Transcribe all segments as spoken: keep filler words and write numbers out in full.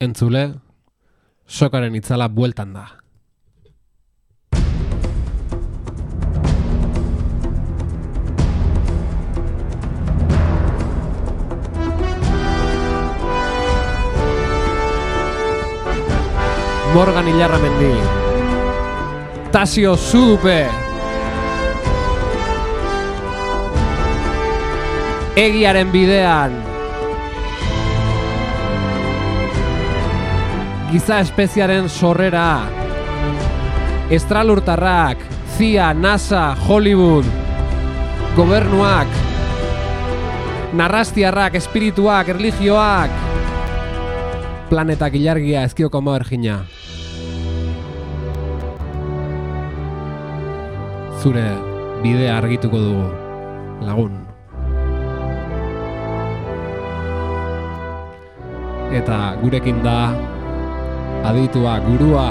Entzule, sokaren itzala bueltan da. Morgan Ilarramendi, Tasio Zudupe, Egiaren bidean, Giza espeziaren sorrera, Estralurtarrak, C I A, NASA, Hollywood, gobernuak, narrastiarrak, espirituak, erlijioak, planetak ilargia ezkioko moergina. Zure bidea argituko dugu, lagun. Eta gurekin da aditua, gurua,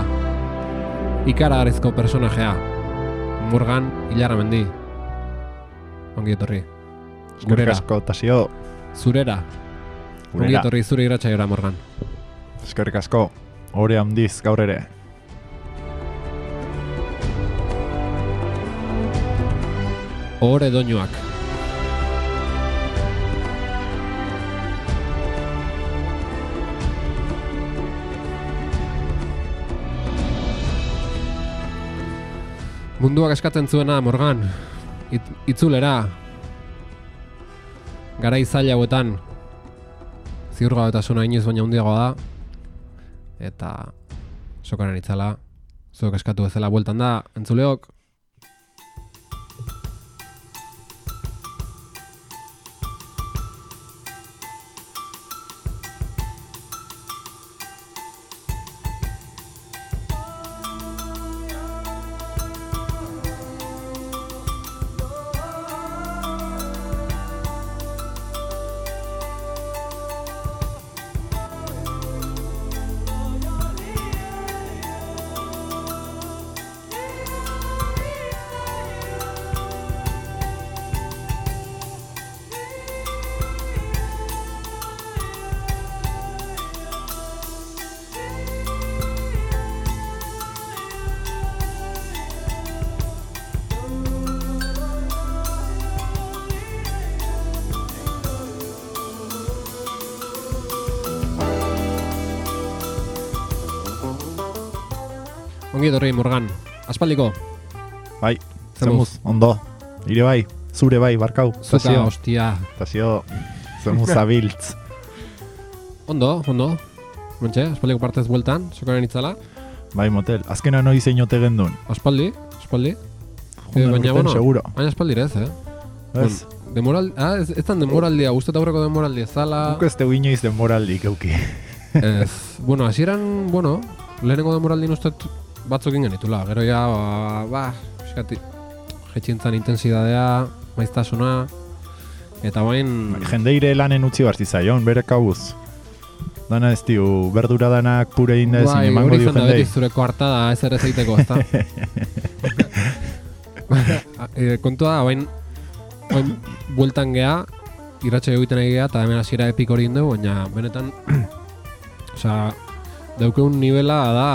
ikaragarrizko personajea, Morgan Ilarramendi. Ongi etorri. Gurera. Asko, Tasio. Zurera. Gurera. Ongi etorri zure irratsaiora, Morgan. Eskerrik asko. Ore handiz gaur ere. Ore doinuak. Munduak eskatzen zuena, Morgan, It, itzulera, garai zaila hauetan, ziurgabetasuna inoiz baina handiagoa da, eta sokaren itzala, zuok eskatu bezala bueltan da, entzuleok. Ongi etorri, Morgan. Aspaldiko. Bai, zemuz, ondo. Ire bai, zure bai, barkau. Zuka, hostia. Tasio, zemuz abiltz. Ondo, ondo. Mentxe, aspaldiko partez bueltan, sokaren itzala. Bai, motel. Azkena noi zeinote gendun. Aspaldi, aspaldi. Jundan baina, urten, bueno, seguro. Baina aspaldirez, eh? Ez. Bon, demoral, ah, ez, ez tan demoraldia, guztet aurreko demoraldia zala. Guk ez tegu inoiz demoraldik, euki. Ez, bueno, hasieran, bueno, lehenengo demoraldin ustet batzuk ingen ditula, gero ja, ba, ba eskati, jetxintzan intensidadea, maiztasuna, eta bain... Jendeire lanen utzi barzi zaion, bere kabuz. Dana ez diu, berdura danak pure inda ezin bai, emango dio jendei. Bai, hori beti zureko hartada ez ere zeiteko, ezta? e, kontua da, bain, bain bueltan geha, irratxe egiten egea, eta hemen hasiera epik hori indegu, baina benetan, osea, daukeun nivela da,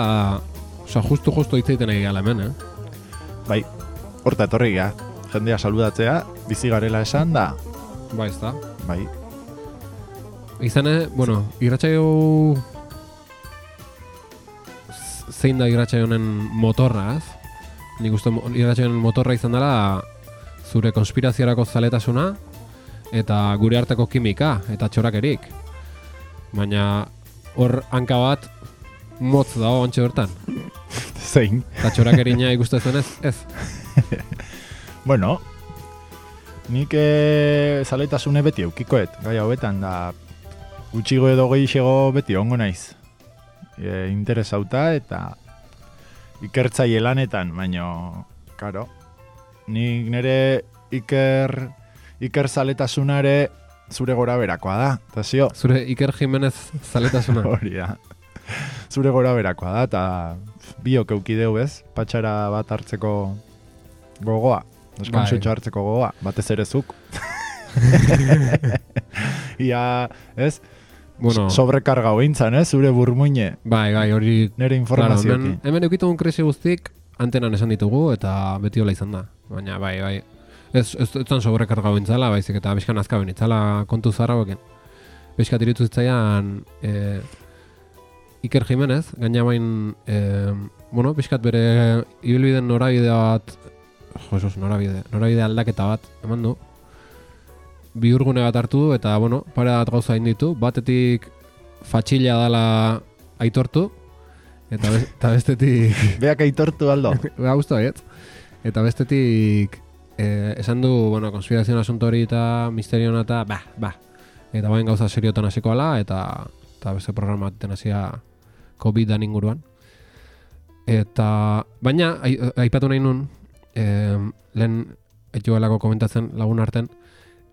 osea, justu-justu hitz egiten egea hemen, eh? Bai, horta etorri geha, jendea saludatzea, bizi garela esan da. Bai, ez da. Bai. Izan, bueno, irratsaio zein da irratsaio honen motorra, ez? Nik uste irratsaio honen motorra izan dela zure konspiraziorako zaletasuna eta gure arteko kimika eta txorakerik. Baina hor hanka bat motz dago ontxe bertan. Zein. Eta txorakerina ikustezen ez? Ez. Bueno, nik e, zaletasune beti eukikoet, gai hauetan da gutxigo edo gehiago beti ongo naiz. E, interesauta eta ikertzaile lanetan, baino, karo, nik nire iker, iker zaletasunare zure gora berakoa da, eta zio. Zure Iker Jimenez zaletasuna. Hori da. Zure gora berakoa da, eta biok eukideu ez, patxara bat hartzeko gogoa, deskontsutxo hartzeko gogoa, batez ere zuk. Ia, ez, Bueno, sobrekarga hointzan, eh? Zure burmuine. bai, bai, hori... Nere Claro, informazioekin. hemen, hemen eukitugun krisi guztik antenan esan ditugu eta beti hola izan da. Baina, bai, bai. Ez, ez, ez zan sobrekarga bintzala, baizik eta bizkan azka binitzala kontu zarra boken. Bizkat iritu zitzaian e, Iker Jimenez, gaina bain, e, bueno, bizkat bere ibilbiden norabide bat, Jesus, norabide, norabide aldaketa bat, eman du. Bihurgune bat hartu du eta, bueno, pare bat gauza egin ditu. Batetik fatxila dala aitortu, eta, be, eta bestetik... Beak aitortu aldo. Ba, guztu baiet. Eta bestetik eh, esan du, bueno, konspirazioen asunto hori eta misteriona eta, ba, ba. Eta bain gauza seriotan hasiko ala, eta, eta beste programa baten hasia COVID-an inguruan. Eta, baina, ai, aipatu nahi nun, eh, lehen etxuelako komentatzen lagun arten,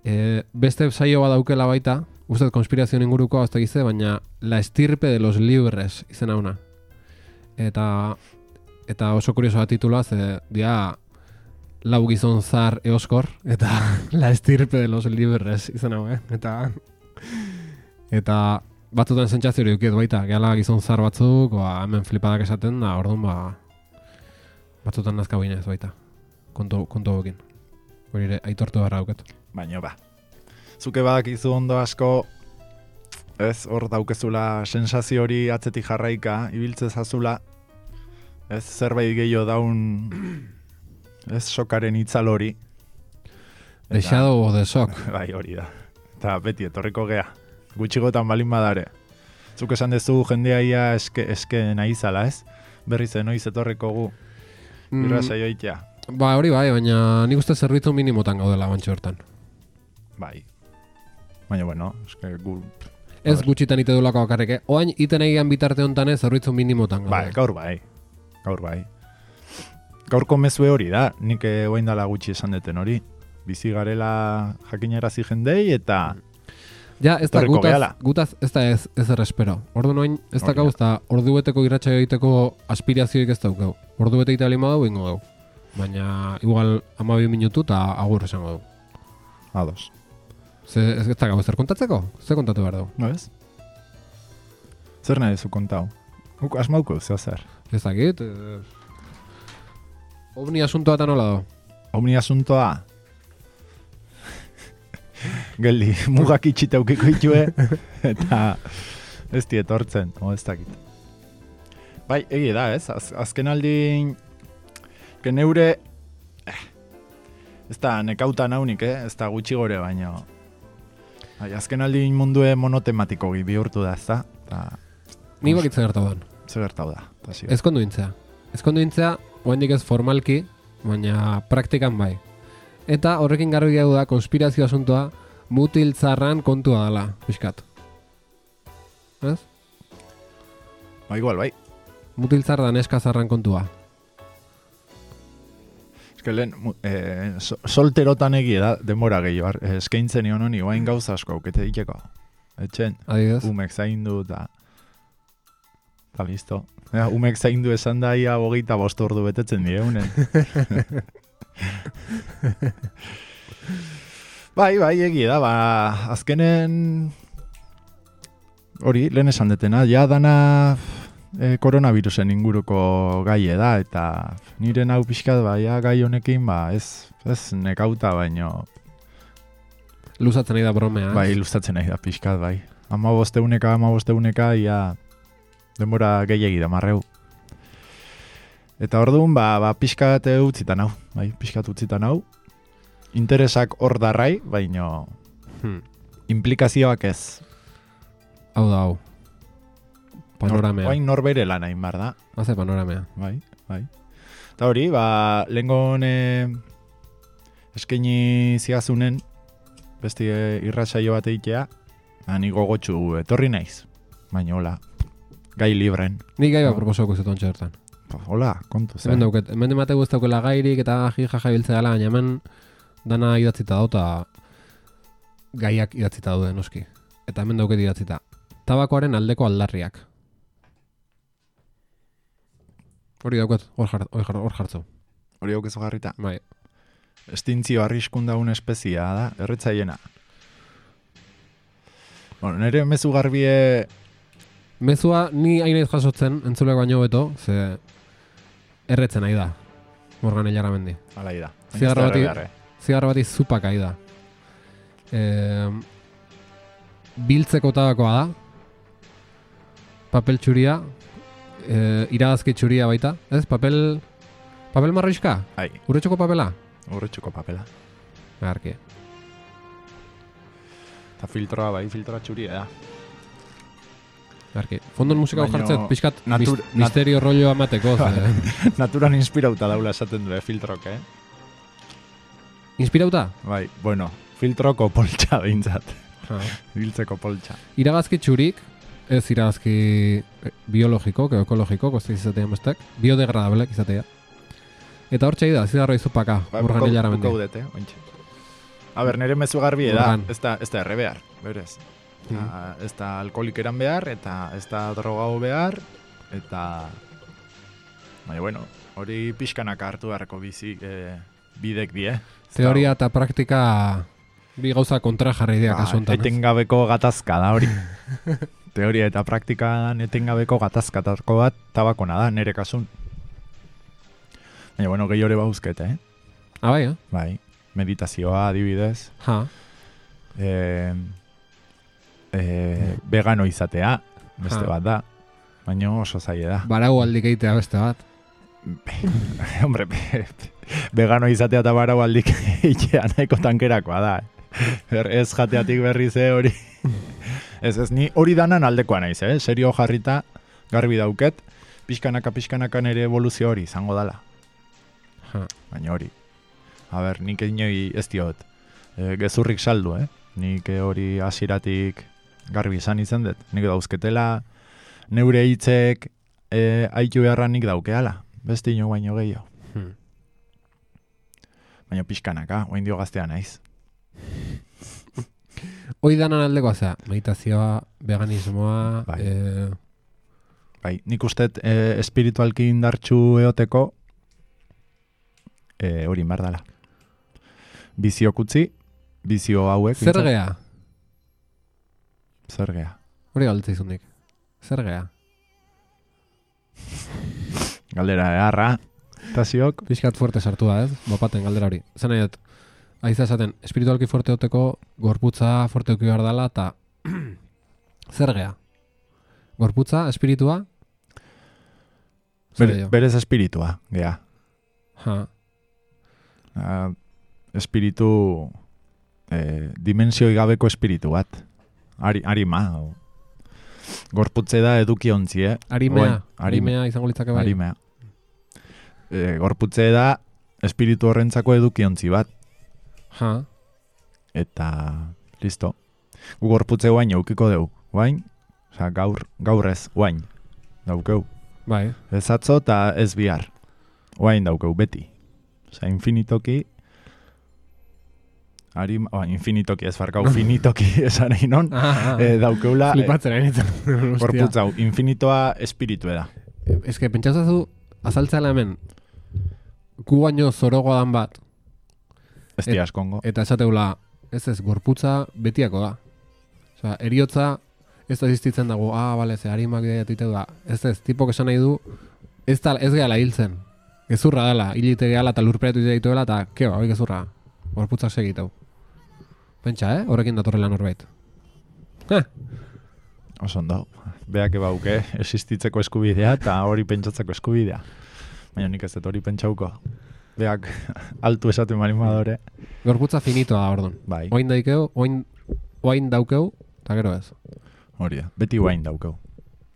eh, beste saio bat daukela baita, uste konspirazioen inguruko hasta gize, baina La estirpe de los libres izen hauna. Eta eta oso kurioso da titula, ze dia lau gizon zar eoskor, eta La estirpe de los libres izen hau, eh? Eta eta batzutan sentsazio hori dukiet baita, gehala gizon zar batzuk, ba, hemen flipadak esaten da, orduan ba batzutan nazka binez baita, kontu, kontu bokin. Hori ere, aitortu beharra duket. Baina ba, zuke badakizu ondo asko, ez, hor daukezula sensazio hori atzetik jarraika, ibiltze zazula, ez, zerbait gehiago daun, ez, sokaren itzal hori. The Shadow of the Shock. Bai, hori da. Eta beti etorriko gea, gutxigotan balin badare. Zuk esan dezu jendea ia eske, eske nahi zala, ez? Berriz enoiz etorriko gu, irra saioitea. Ba, hori bai, baina nik uste zerbitzu minimotan gaudela bantxo hortan. Bai. Baina, bueno, eske gu... Ez gutxitan ite dulako bakarrik, oain iten egian bitarte honetan ez zerbitzu minimotan gaude. Bai, gaur bai. Gaur bai. Gaurko mezue hori da, nik oain dala gutxi esan deten hori. Bizi garela jakinarazi jendei eta... Ja, ez da, gutaz, gutaz ez da ez, ez errespero. Ordu noin, ez da gauz, eta ordu beteko irratxa egiteko aspirazioik ez daukau. Ordu bete egite alima dugu, ingo dugu. Baina, igual, amabi minutu eta agur esango dugu. Ados. Ze, ez da gauz, zer kontatzeko? Zer kontatu behar dugu? No ez? Zer nahi zu kontau? Uk asmauko, zeo zer? Ez dakit. Eh... Ovni asuntoa eta nola do? Ovni asuntoa? Geldi, mugak itxita ukiko itxue, eta ez dietortzen, o ez dakit. Bai, egi da, ez? Az, azken aldin, que neure, eh, ez da nekauta naunik, eh? Ez da gutxi gore, baina... Bai, azken aldin mundue monotematiko bihurtu da, ez da? Ta, Ni bakit zer gertau dan. Zer gertau da. Ez konduintzea. Ez konduintzea, oendik ez formalki, baina praktikan bai. Eta horrekin garbi gau da, konspirazio asuntoa, mutil zarran kontua dela, pixkat. Ez? Ba, igual, bai. Mutil zarra neska zarran kontua. Ez que lehen, eh, so, solterotan egia da, denbora gehiago, eskaintzen nion honi, guain gauza asko, aukete diteko. Etxen, adibidez, umek zaindu eta... Eta listo. Ja, umek zaindu esan da ia bogeita bost ordu betetzen dieunen. Bai, bai, egia da, ba, azkenen hori, lehen esan detena, ja dana e, koronavirusen inguruko gaie da, eta nire hau pixkat, ba, ja gai honekin, ba, ez, ez nekauta, baino... Luzatzen nahi da bromea. Bai, luzatzen nahi da pixkat, bai. Ama bosteuneka, ama bosteuneka, ia denbora gehiagi da marreu. Eta orduan, ba, ba pixkat utzitan hau, bai, pixkat utzitan hau. Interesak hor darrai, baino hmm. implikazioak ez. Hau da, hau. Panoramea. Oain norbere lan hain bar da. Haze panoramea. Bai, bai. Eta hori, ba, lehengon eh, eskaini zigazunen, besti eh, irratsaio bat egitea, ni gogotxu etorri naiz. Baina hola, gai libren. Ni gai bat proposoko zuton txertan. Hola, kontu zen. Hemen dauket, hemen demategu ez daukela gairik eta jaja biltzea dela, baina hemen dana idatzita dau eta gaiak idatzita daude noski. Eta hemen dauket idatzita. Tabakoaren aldeko aldarriak. Hori dauket, hor jar, jartzu. Hori daukezu jarrita. Bai. Estintzio arriskun daun espezia da, erretzaiena. Bueno, nire mezu garbie... Mezua ni hainaiz jasotzen, entzuleko baino beto, ze erretzen nahi da, Morgan Illarramendi. Hala da. Zigarro bati, zigarro bati zupak ahi da. E, biltzeko tabakoa da, papel txuria, e, iragazki txuria baita, ez? Papel, papel marroiska? Ai. Urretxoko papela? Urretxoko papela. Garki. Eta filtroa bai, filtroa txuria da. Garki. Fondon musika Baino, jartzet, pixkat natur, mis, misterio rollo amateko. Ze. Naturan inspirauta daula esaten du, filtrok, eh? Inspirauta? Bai, bueno, filtroko poltsa behintzat. Ha. Biltzeko poltsa. Iragazki txurik, ez iragazki biologiko, ekologiko, koste izatea mestek, biodegradable izatea. Eta hor txai da, zigarro izupaka, Ba, Morgan Illarramendi. Buka udete, ointxe. A ber, nire mezu garbi da, ez da, ez da erre behar, berez. Mm. Ez da alkoholik eran behar, eta ez da drogau behar, eta... Baina, bueno, hori pixkanak hartu beharko bizi eh, bidek die. Teoria eta praktika bi gauza kontra jarri dira ba, kasuntan. Etengabeko gatazka da hori. Teoria eta praktikan etengabeko gatazkatako bat tabakona da, nire kasun. Baina, bueno, gehi hori bauzkete, eh? Ah, bai, eh? Bai, meditazioa adibidez. Ha. Eh, eh, vegano izatea, beste ha. bat da. Baina oso zaila da. Barau aldik eitea beste bat. Hombre, vegano izatea eta barau aldik eitea nahiko tankerakoa da. Eh? Ez jateatik berri ze hori. Ez ez, ni hori danan aldekoa naiz, eh? Serio jarrita garbi dauket, pixkanaka pixkanaka nere evoluzio hori izango dala. Ha. Baina hori. A ber, nik inoi ez diot. E, gezurrik saldu, eh? Nik hori hasiratik garbi izan izan dut. Nik dauzketela, neure hitzek e, aitu beharra nik daukeala. Beste ino baino gehiago. Hmm. Baina pixkanaka, oain dio gaztea naiz. Hoi danan aldekoa zea, meditazioa, veganismoa... Bai. Eh... Bai, nik ustet e, espiritualki indartxu eoteko e, hori inbar dala. Bizio kutzi, bizio hauek. Zer gea? Zer gea? Hori galdetza izundik. Zer gea? Galdera eharra, eta ziok. Piskat fuerte sartu da, ez? Bopaten galdera hori. Zer nahi dut, aiza esaten, espiritualki fuerte oteko, gorputza fuerte oki behar dela, eta zer gea? Gorputza, espiritua? Ber, berez espiritua, gea. Ha. Uh, espiritu, eh, dimensioi gabeko espiritu bat. Ari, arima. Gorputze da eduki ontzi, eh? Arimea, Oain, arimea izango litzake bai. Arimea. E, gorputze da espiritu horrentzako edukiontzi bat. Ha. Eta, listo. Gu gorputze guain eukiko deu. Guain, oza, gaur, gaur ez, guain. Daukeu. Bai. Ez atzo eta ez bihar. Guain daukeu, beti. Oza, infinitoki... Arim, oh, infinitoki ez farkau, finitoki esan egin non. Ah, ah. E, daukeula... Flipatzen ari nintzen. Gorputzau, infinitoa espiritu da. Ez que pentsatzazu, azaltzela hemen, gu baino zorogoa dan bat. Ez di askongo. Eta esateula, ez ez, gorputza betiako da. Osea, eriotza ez da existitzen dago, ah, bale, ze harimak ideatiteu da. Ez ez, tipok esan nahi du, ez, da, ez gehala hiltzen. Gezurra dela, hilite gehala eta lurperetu ideituela, eta keo, hori gezurra. Gorputzak segiteu. Pentsa, eh? Horrekin datorrela norbait. Eh. Oso ondo. Beak ebauke existitzeko eskubidea eta hori pentsatzeko eskubidea. Baina nik ez dut hori pentsauko. Beak altu esaten marimadore. Gorputza finitoa da, ordon. Bai. Oain daikeu, oain, oain daukeu, eta gero ez. Hori da, beti oain daukeu.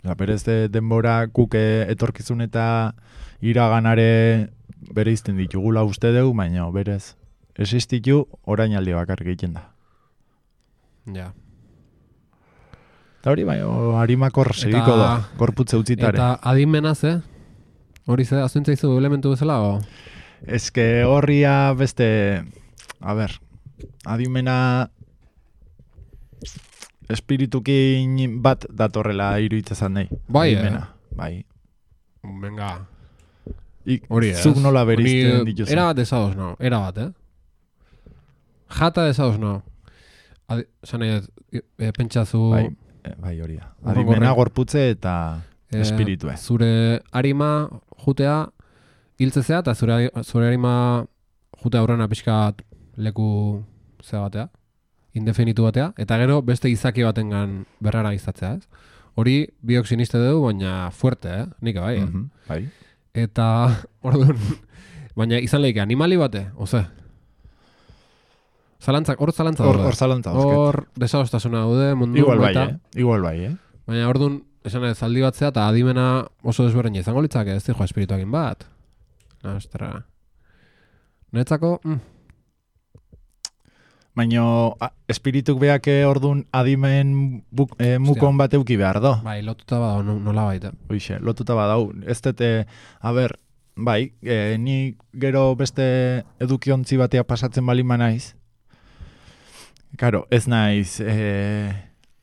Osa, berez de denbora kuke etorkizun eta iraganare bere izten ditugula uste deu, baina berez existitu orain aldi bakar egiten da. Ja. Eta hori bai, harimakor segiko da, gorputze utzitare. Eta adimenaz, eh? Hori ze, azuntza izu elementu bezala, o? Ez que horria beste, a ber, adimena espiritukin bat datorrela iruditzezan nahi. Bai, adimena. eh? Bai. Venga. Ik, Hori ez. zuk nola berizten dituzu. Era bat desadoz, no. Era bat, eh? Jata desadoz, no. adi, esan nahi, e, pentsazu... Bai, e, bai hori da. Adimena, gorputze eta e, espiritue. Zure harima jutea hiltzezea, eta zure, zure harima jutea aurrena pixkat leku zea batea, indefinitu batea, eta gero beste izaki batengan berrara izatzea, ez? Hori biok siniste dugu, baina fuerte, eh? Nik bai, eh? Mm-hmm, bai. Eta, orduan, baina izan lehike, animali bate, oze? Zalantzak, hor zalantza Hor, daude. hor zalantza Hor desadostasuna daude, mundu. Igual bai, eta, eh? Igual bai, eh? Baina orduan, esan ez, zaldi batzea, eta adimena oso desberdina izango litzake, ez dijo espirituakin bat. Ostra. Netzako, mm. Baina espirituk beak ordun adimen buk, e, mukon bat euki behar do. Bai, lotuta badau, no, nola baita. Hoixe, lotuta badau. Ez dute, a ber, bai, e, ni gero beste edukiontzi batea pasatzen balima naiz. Karo, ez naiz, e,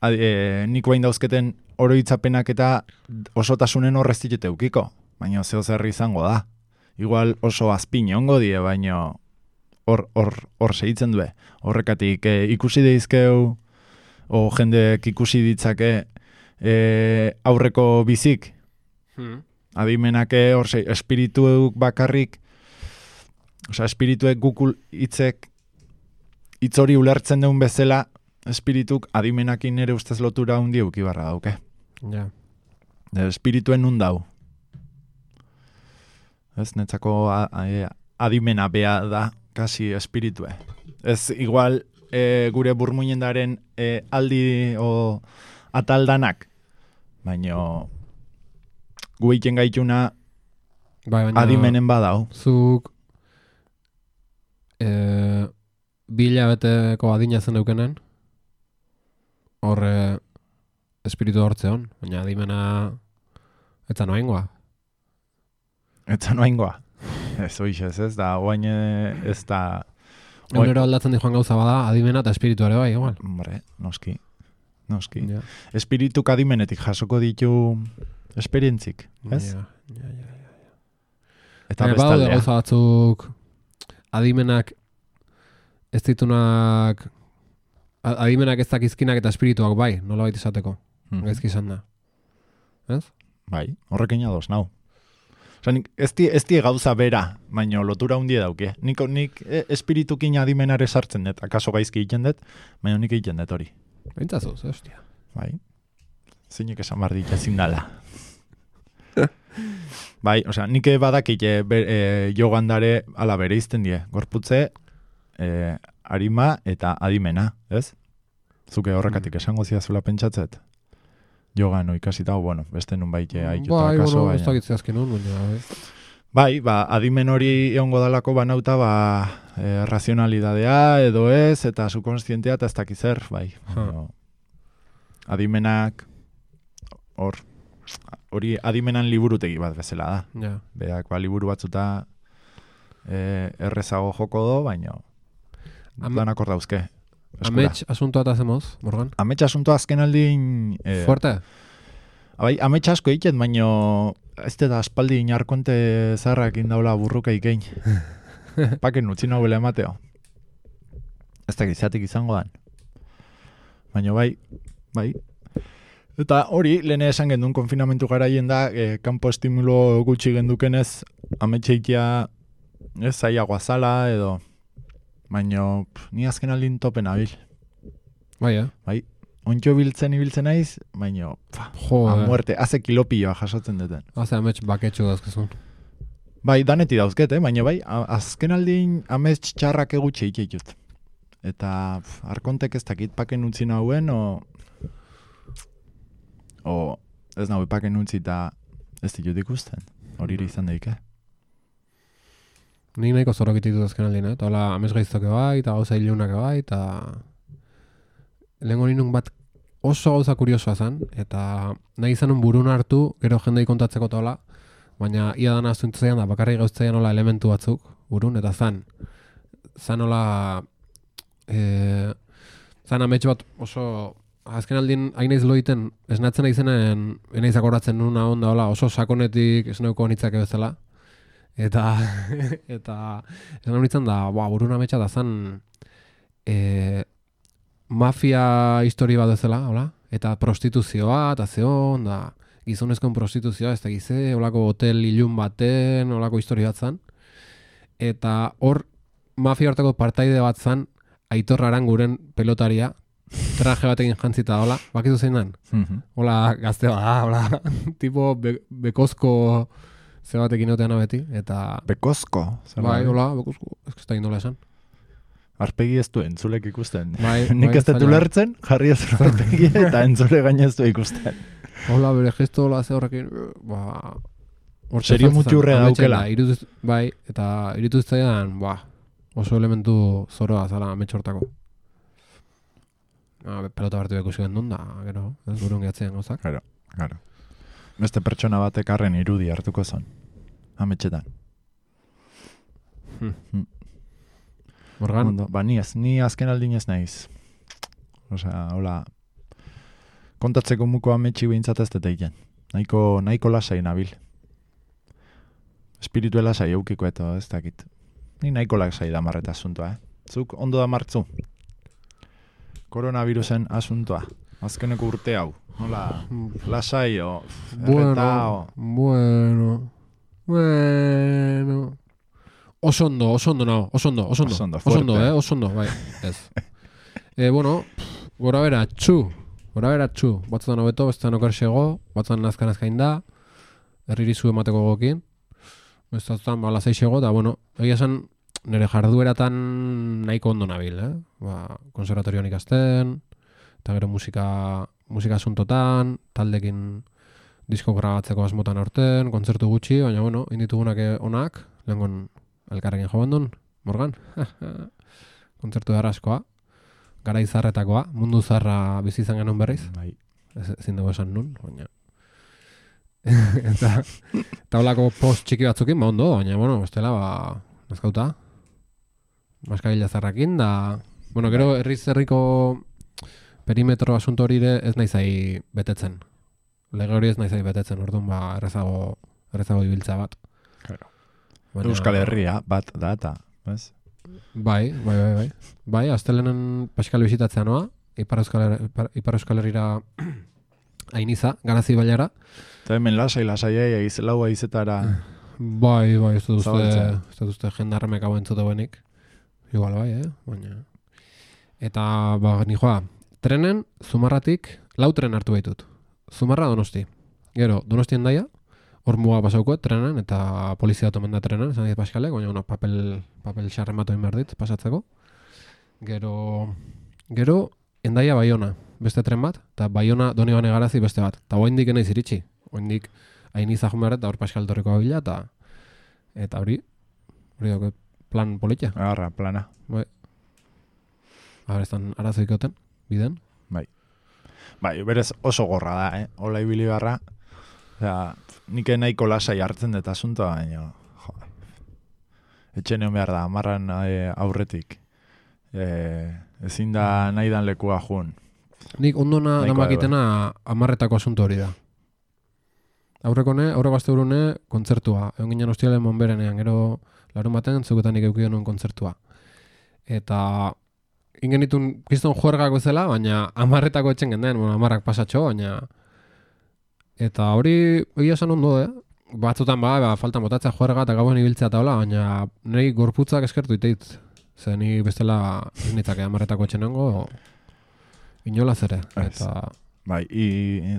adi, e, nik bain dauzketen oroitzapenak eta osotasunen horrez ditete eukiko. Baina zeo zerri izango da. Igual oso azpin ongo die, baina... Hor, hor, hor segitzen due. Horrekatik e, ikusi deizkeu, o jendek ikusi ditzake e, aurreko bizik. Hmm. Adimenake hor se, espirituek bakarrik, osea, espirituek gukul hitzek hitz hori ulertzen duen bezala, espirituk adimenakin ere ustez lotura hundi euki barra dauke. Ja. De, espirituen nun dau. Ez, netzako a, a, adimena bea da, kasi espiritue. Ez igual e, gure burmuinendaren e, aldi o ataldanak, baina gu egiten gaituna bai, baina, adimenen badau. Zuk e, bila beteko adina zen eukenen, hor e, espiritu hortzeon, baina adimena etza noaingoa. Etza noaingoa. Ez oixez, ez da, oain ez da... Egunero aldatzen di joan gauza bada, adimena eta espiritu ere bai, igual. Hombre, noski, noski. Ja. Espirituk adimenetik jasoko ditu esperientzik, ez? Ja, ja, ja, ja. Eta Baina badaude bestaldea. gauza batzuk adimenak ez ditunak adimenak ez dakizkinak eta espirituak bai, nola baita izateko. Mm. Gaizki izan da. Ez? Bai, horrekin ados, nau. Osa, nik, ez, die, ez die gauza bera, baino lotura hundie dauke. Nik, nik e, espiritukin adimenare sartzen dut, akaso gaizki egiten dut, baina nik egiten dut hori. Bintzazuz, hostia. Bai, zeinek esan behar dit ezin dala. Bai, osea, nik badakit e, e, jogandare ala bere izten die. Gorputze, e, arima eta adimena, ez? Zuke horrekatik Mm. esango ziazula pentsatzet. Jogan ikasita, bueno, beste nun baite haituta Bai, akaso, bueno, ez baina... dakitze azken nun, baina, bai. Bai, ba, adimen hori egongo dalako banauta, ba, e, razionalidadea edo ez, eta subkonstientea eta ez dakiz zer, bai. Huh. Adimenak, hor, hori adimenan liburutegi bat bezala da. Ja. Beak, ba, liburu batzuta e, errezago joko do, baina Am- danak hor dauzke. eskura. Amets asuntoa eta zemoz, Morgan? Amets asunto azken aldin... E, Fuerte? Bai, amets asko egiten, baina ez da aspaldi inarkonte zaharrak indaula burruka ikein. Paken utzi nobela emateo. Ez da gizatik izango dan. Baina bai, bai. Eta hori, lehen esan gendun konfinamentu garaien da, e, kanpo estimulo gutxi gendukenez, ametxeikia ez zaiagoa zala edo... Baina ni azken aldin topen abil. Bai, eh? Bai, ontxo biltzen ibiltzen naiz, baina pa, Jo, a muerte, haze kilopioa jasotzen duten. Haze amets baketxu dazkezun. Bai, daneti dauzket, eh? Baina bai, a- azken aldin amets txarrak egutxe ikitut. Eta pf, arkontek ez dakit paken utzi nahuen, o... O ez nahi paken utzi eta ez ditut ikusten. Hori izan daik, eh? Nik nahiko zorok ititu azken aldin, eh? Eta hola, amets gaiztoke bai, eta gauza ilunak bai, eta... Lehenko ninun bat oso gauza kuriosoa zen, eta nahi izanun burun hartu, gero jendei kontatzeko tola, baina ia dana zuntzean da, bakarrik gauztzean hola elementu batzuk, burun, eta zan, zan hola, e, zan amets bat oso, azken aldin hain naiz loiten, esnatzen naizenen, enaiz akoratzen nuna onda hola, oso sakonetik esneuko nitzake bezala, eta, eta, esan nintzen da, boa, burun ametsa da zan, e, mafia histori bat bezala, hola? Eta prostituzioa, eta zeon, da gizonezkoen prostituzioa, ez da gize, holako hotel ilun baten, holako histori bat zan. Eta hor, mafia hortako partaide bat zan, Aitor Aranguren pelotaria, traje batekin jantzita, hola? Bakizu zein dan? Mhm. Hola, gazte bat, hola, tipo be, bekozko ze batekin otean beti, eta... Bekozko. zer Bai, da? hola, bekozko, ez da indola esan. Arpegi ez du entzulek ikusten. Bai, Nik bai, ez dut zaila. ulertzen, jarri ez arpegi eta entzule gaina ez du ikusten. Hola, bere gesto, hola, ze horrekin, ba... hortxe Serio sartzen, mutxurrea ametsen daukela. da, iruduz, bai, eta irutu zitzaidan, ba, oso elementu zoroa zala ametxortako. Ah, pelota bertu ikusi gendun da, gero, ez burun gehatzen gauzak. Claro, claro. Beste pertsona batek arren irudi hartuko zon. Ametxetan. Hmm. Hmm. Morgan, Ondo, ba, ni, ez, ni azken aldin ez naiz. Osea, hola, kontatzeko muko ametxi behintzat ez dut egiten. Nahiko, nahiko lasai nabil. Espiritu lasai eukiko eta ez dakit. Ni nahiko lasai da marreta asuntoa, eh? Zuk ondo da martzu. Koronavirusen asuntoa. Azkeneko urte hau. Nola, lasai o, erreta o... bueno, bueno... Oso ondo, oso ondo nago, oso ondo, oso ondo, Oso ondo, oso ondo, fuerte. eh, oso ondo, bai, ez. e, bueno, gora bera, txu, gora bera, txu, batzutan hobeto, bestetan okersego, batzutan nazkan azkain da, herririzu emateko gokin, bestetan ba, lasaixego, eta bueno, egia esan, nire jardueratan nahiko ondo nabil, eh? Ba, konservatorioan ikasten, eta gero musika, musika asuntotan, taldekin disko grabatzeko asmotan aurten, kontzertu gutxi, baina bueno, inditugunak onak, lehengon elkarrekin jo bandun, Morgan. Kontzertu askoa, gara izarretakoa, mundu zarra bizi izan genuen berriz, Bai. ez, ezin dugu esan nun, baina... eta eta holako post txiki batzukin, ba ondo, baina, bueno, bestela, ba, nazkauta, maskagila zarrakin, da... Bueno, gero herriz herriko perimetro asunto hori ere ez naizai betetzen. Lege hori ez naizai betetzen, orduan, ba, errezago, errezago ibiltza bat. Claro. Baina- Euskal Herria bat da eta, ez? Bai, bai, bai, bai. Bai, astelenen Paskal bisitatzea noa, Ipar Euskal, Her- Ipar, Ipar Euskal Herrira ainiza, garazi bailara. Eta hemen lasai, lasai, eiz, lau aizetara... Bai, bai, ez dut uste, Zabaltzea. ez dut uste jendarremek hau entzute benik. Igual bai, eh? Baina... Eta, ba, nijoa, trenen, Zumarratik, lau tren hartu baitut. Zumarra Donosti. Gero, Donostien daia, hor muga pasauko, trenen, eta polizia tomen da trenen, esan dit Paskalek, baina, bueno, papel, papel xarren bat oin behar dit, pasatzeko. Gero, gero, endaia Baiona, beste tren bat, eta Baiona Doni Bane Garazi beste bat. Eta oaindik enaiz iritsi, oaindik hain izahun behar, eta hor Paskal torriko bila, eta eta hori, hori dago plan politia. Agarra, plana. Bai. A ber, estan arazoikoten, biden. Bai, berez oso gorra da, eh? Ola ibili barra. Osea, nik nahiko lasai hartzen dut asuntoa, baina... Jo, etxe neon behar da, amarran eh, aurretik. Eh, ezin da nahi dan lekua jun. Nik ondona Nahikoa namakitena amarretako asunto hori da. Aurreko ne, aurreko aste urune, kontzertua. Egon ginen hostialen monberenean, gero larun baten zuketanik eukio nuen kontzertua. Eta ingenitun kriston juergak bezala, baina amarretako etxen genden, bueno, amarrak pasatxo, baina... Eta hori egia esan ondo, eh? Batzutan ba, ba faltan botatzea juerga eta gauen ibiltzea eta hola, baina niri gorputzak eskertu iteit. Ze ni bestela ez nitzake amarretako etxen nengo, inolaz ere. Ez. Eta... Bai, i,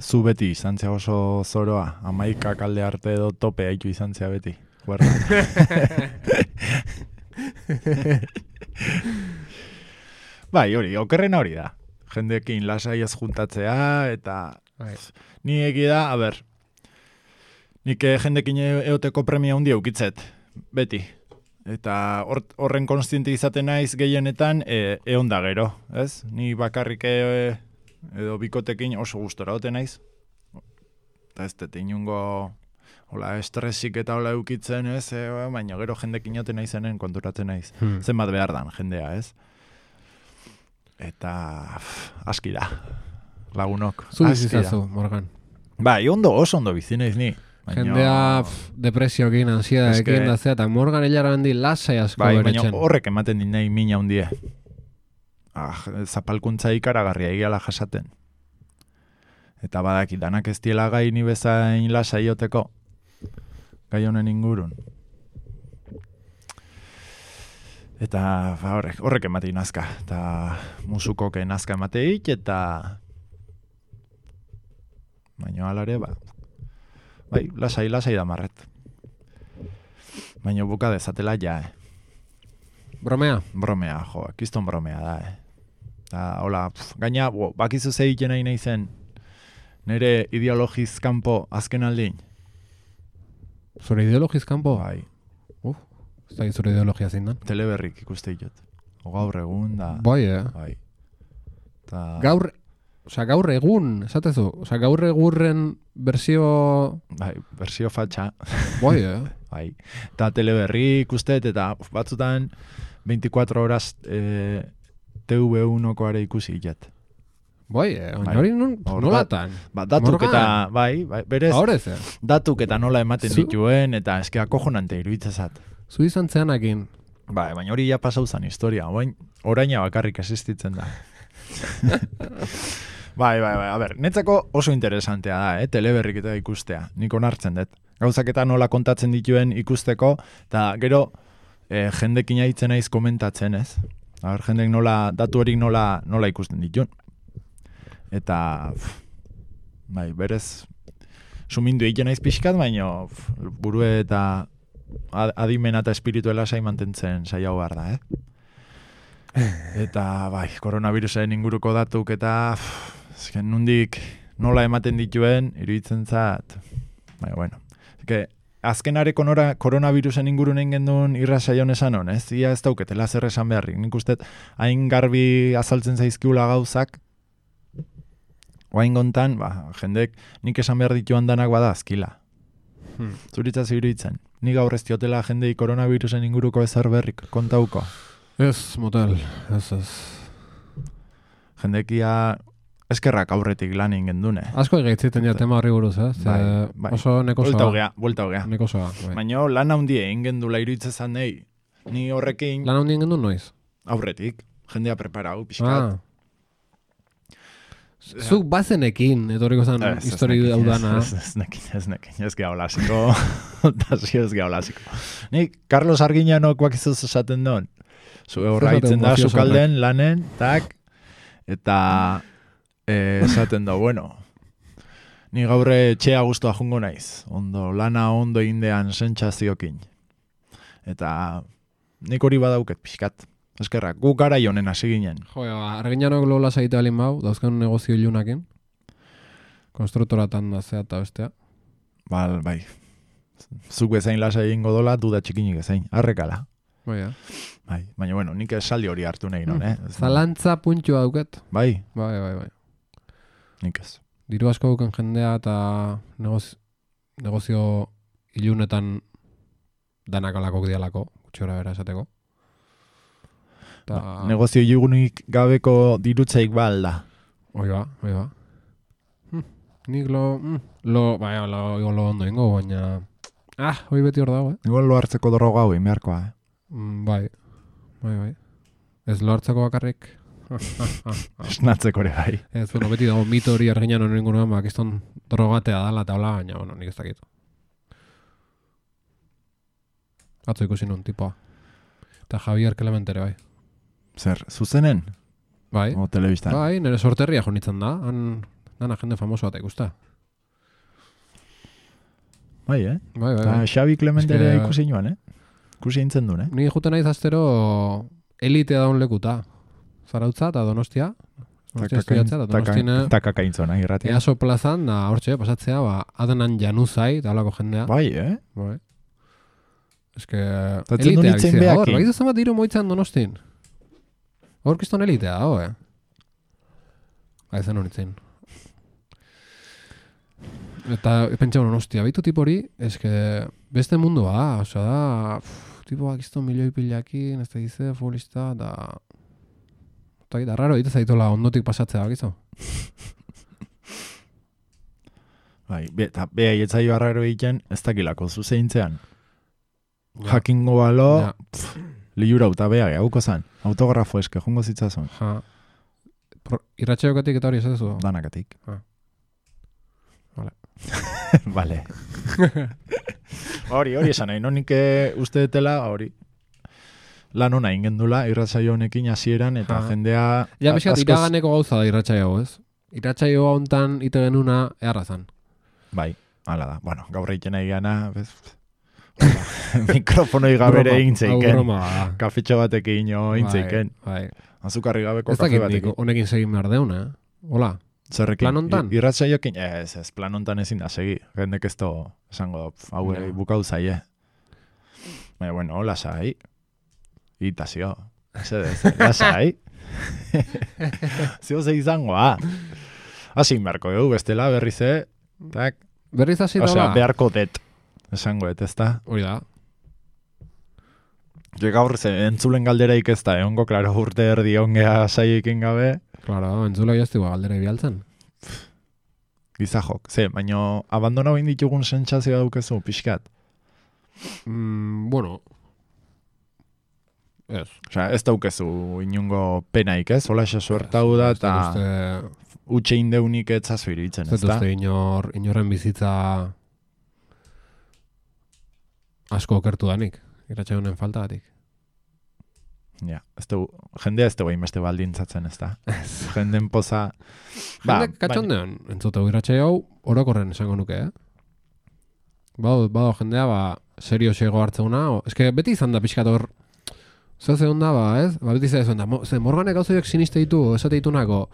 zu beti izan zea oso zoroa, amaikak alde arte edo tope haitu izan zea beti. Guarda. Bai, hori, okerrena hori da. Jendekin lasai ez juntatzea, eta Bai. ni egi da, a ber, nik eh, jendekin e- eoteko premia hundi eukitzet, beti. Eta hor, horren konstiente izaten naiz gehienetan e, eon da gero, ez? Ni bakarrik e, edo bikotekin oso gustora ote naiz. Eta ez dut inungo hola, estresik eta hola eukitzen, ez? E, baina gero jendekin ote naizenen konturatzen naiz. Hmm. Zenbat behar dan jendea, ez? Eta pff, aski da. Lagunok. Zu aski da. bizizazu, Morgan. Bai, ondo, oso ondo bizi naiz ni. Baina- Jendea pff, depresioekin, ansiedadekin Eske- da zea, eta Morgan hilara handi lasai asko Bai, baina beretzen. horrek ematen din nahi mina hundie. ah, zapalkuntza ikaragarria egiala jasaten. Eta badaki, danak ez diela gai ni bezain lasa ioteko, gai honen ingurun. Eta ba, horrek, horrek ematei nazka, eta musukoke nazka emateik, eta baina alare, ba, bai, lasai, lasai da marret. Baina buka dezatela ja, eh. Bromea? Bromea, jo, kiston bromea da, eh. Eta, hola, pf, gaina, bo, bakizu zeiten nahi nahi zen, nire ideologiz kanpo azken aldin. Zure ideologiz kanpo? Bai. Uf, ez da zure ideologia zein dan? Teleberrik ikuste ditut. O gaur egun da. Bai, eh? Bai. Ta... Gaur, osea, gaur egun, esatezu, osea, gaur egurren bersio... Bai, bersio fatxa. Bai, eh? Bai. Eta teleberri ikustet, eta uf, batzutan veinticuatro horas eh, T V unokoare ikusi jet. Bai, eh? Bai. Hori non, Hor nolatan? Ba, datuk Morgan. eta, bai, bai, berez, Horez, eh? datuk eta nola ematen Zu- dituen, eta eske akojonante iruditzezat. Zu izan zeanakin. Bai, baina hori ja pasau zan historia, orain oraina bakarrik existitzen da. bai, bai, bai, a ber, netzako oso interesantea da, eh, teleberrik eta ikustea, nik onartzen dut. Gauzak eta nola kontatzen dituen ikusteko, eta gero eh, jendekin aitzen naiz komentatzen, ez? A ber, jendek nola, datu horik nola, nola ikusten dituen. Eta, pff, bai, berez, sumindu egiten naiz pixkat, baina pff, burue eta ad- adimena eta espirituela sai mantentzen saiau behar da, eh? Eta, bai, koronavirusaren inguruko datuk eta, pff, ezken nundik nola ematen dituen, iruditzen zat, bai, bueno. Ezke, azkenare konora, koronavirusen ingurun egin gendun irrasaion esan hon, ez? Ia ez dauketela zer esan beharrik. Nik uste, hain garbi azaltzen zaizkiula gauzak, oain gontan, ba, jendek nik esan behar dituan danak bada azkila. Hmm. Zuritzaz iruditzen. Nik gaur ez diotela jendei koronavirusen inguruko ezer berrik kontauko. Ez, motel, ez, ez. Jendekia eskerrak aurretik lan egin dune. Asko egeitziten ja tema horri buruz, ez? Bai, Eh, bai. Oso nekosoa. Buelta hogea, buelta hogea. Nekosoa, bai. Baina lan handie egin gendula iruditzen nahi. Ni horrekin Lan handien gendu noiz? aurretik. Jendea preparau, pixkat. Ah. Zuk bazenekin, etorriko zen Ez, ez histori nekin, hau dana. Ez, ez, ez nekin, ez nekin, ez geha holasiko. Eta zio ez geha holasiko. Nik, Carlos Arguiñanok bakizuz esaten duen. Zu horra Esaten itzen da mafiosoak. sukalden, lanen, tak, eta eh, esaten da, bueno, ni gaurre txea guztua jungo naiz. Ondo, lana ondo indean sentsaziokin. Eta nik hori badauket pixkat. Eskerrak, gu gara honen hasi ginen. Jo, arginanok lola zaite alin bau, dauzkan negozio ilunakin. Konstruktoratan da zea eta bestea. Bal, bai. Zuk bezain lasa egingo dola, duda txikinik ezain. Arrekala. Bai, ja. Bai, baina bueno, nik esaldi hori hartu nahi non, eh? Ez- Zalantza puntxua dauket. Bai, Bai, bai, bai. nik ez. Diru asko duken jendea eta negozio, negozio ilunetan danak alakok dialako, gutxora bera esateko. Ta... Ba, negozio igunik gabeko dirutzaik ba alda. Oi ba, oi ba. Hm, nik lo, hm, lo, bai, lo, igual lo ondo ingo, baina... Ah, hoi beti hor dago, eh? Igual lo hartzeko droga hau beharkoa, eh? Mm, bai, bai, bai. Ez lo hartzeko bakarrik. Esnatzeko ere bai. Ez, bueno, beti dago mito hori arginan honen inguruan, bak, izton drogatea dala eta hola, baina, bueno, nik ez dakit. Atzo ikusi nun, tipoa. Eta Javier Clementere, bai. Zer, zuzenen? Bai, O telebistan? bai, nire sorterria jonitzen da, han, nana jende famoso bat ikusta. Bai, eh? Bai, bai, Eta bai. Xabi Clementere Eske- ikusi joan, eh? Ikusi intzen duen, eh? Ni juten naiz astero elitea daun lekuta. Zarautza eta Donostia. Donostia estudiatzea, eta Donostine Takakaintzona, irratia. Easo plazan, da hortxe, pasatzea, ba, adenan januzai, eta holako jendea. Bai, eh? Bai. Eske, Eta etzen duen elitea itzen bizia, hor, behakin. bai zenbat diru moitzan Donostin. Hor kiston elitea dago, eh? Bai, zen honitzen. Eta pentsa honen, ostia, baitu tipo hori, eske, beste mundua da, osea da, pff, tipo bakizto milioi pilakin, ez da gize, futbolista, da... Eta da, raro, egite zaitola ondotik pasatzea, bakizu? Bai, be, eta beha ietzai barraro egiten, ez dakilako zuzeintzean. Ja. Jakingo balo, Ja. pff, liura uta beha, hauko zan. Autografo eske, jongo zitzazun. Ja. Irratxaiokatik eta hori esatezu? Danakatik. Ah. Vale. Vale. hori, hori esan nahi, no nik uste detela, hori. Lan hona ingendula, irratsaio honekin hasieran eta ha. jendea... Ja, pixkat, iraganeko gauza da irratsaio, ez? Irratsaio hontan ite genuna eharrazan. Bai, hala da. Bueno, gaur egiten nahi gana, bez... mikrofonoi gabere egin zeiken. Kafetxo batekin egin zeiken. Bai, bai. Azukarri gabeko kafe batekin. Ez dakit honekin segin behar deuna, eh? Hola. Zerrekin? Plan hontan? Irratsaioekin, ez, ez, plan hontan ezin da segi. Jendek ez to, esango, hau no. Bukau zaie. Baina, bueno, hola zai. Ita zio. Zedez, lasai. Zio ze izangoa. Hasi beharko dugu, bestela, berri ze. Tak. Berriz hasi da, osea, beharko det. Esango, ez da? Hori da. Jo gaur ze, entzulen galderaik ez da, egongo, klaro, urte erdi ongea saiekin gabe. Claro, entzula jazti galdera bialtzen. Gizajok, ze, baina abandona bain ditugun sentsazioa daukezu, pixkat. Mm, bueno. Ez. Osea, ez daukezu inungo penaik, ez? Hola xa suertau da, eta utxe indeunik etzazu iritzen, ez da? Zetuzte inor, inorren bizitza asko okertu danik, iratxe honen faltagatik. Ja, ez du, jendea ez du bain beste baldintzatzen, ez da? Jenden poza... Jendek ba, katxondean, baina... entzuteu iratxe hau, orokorren esango nuke, eh? Bado, bado jendea, ba, serio xego hartzeuna, o... eske beti izan da pixkat hor, zer ze onda, ba, ez? Ba, beti ze da, mo, ze morganek gauzoiak siniste ditu, esate ditunako,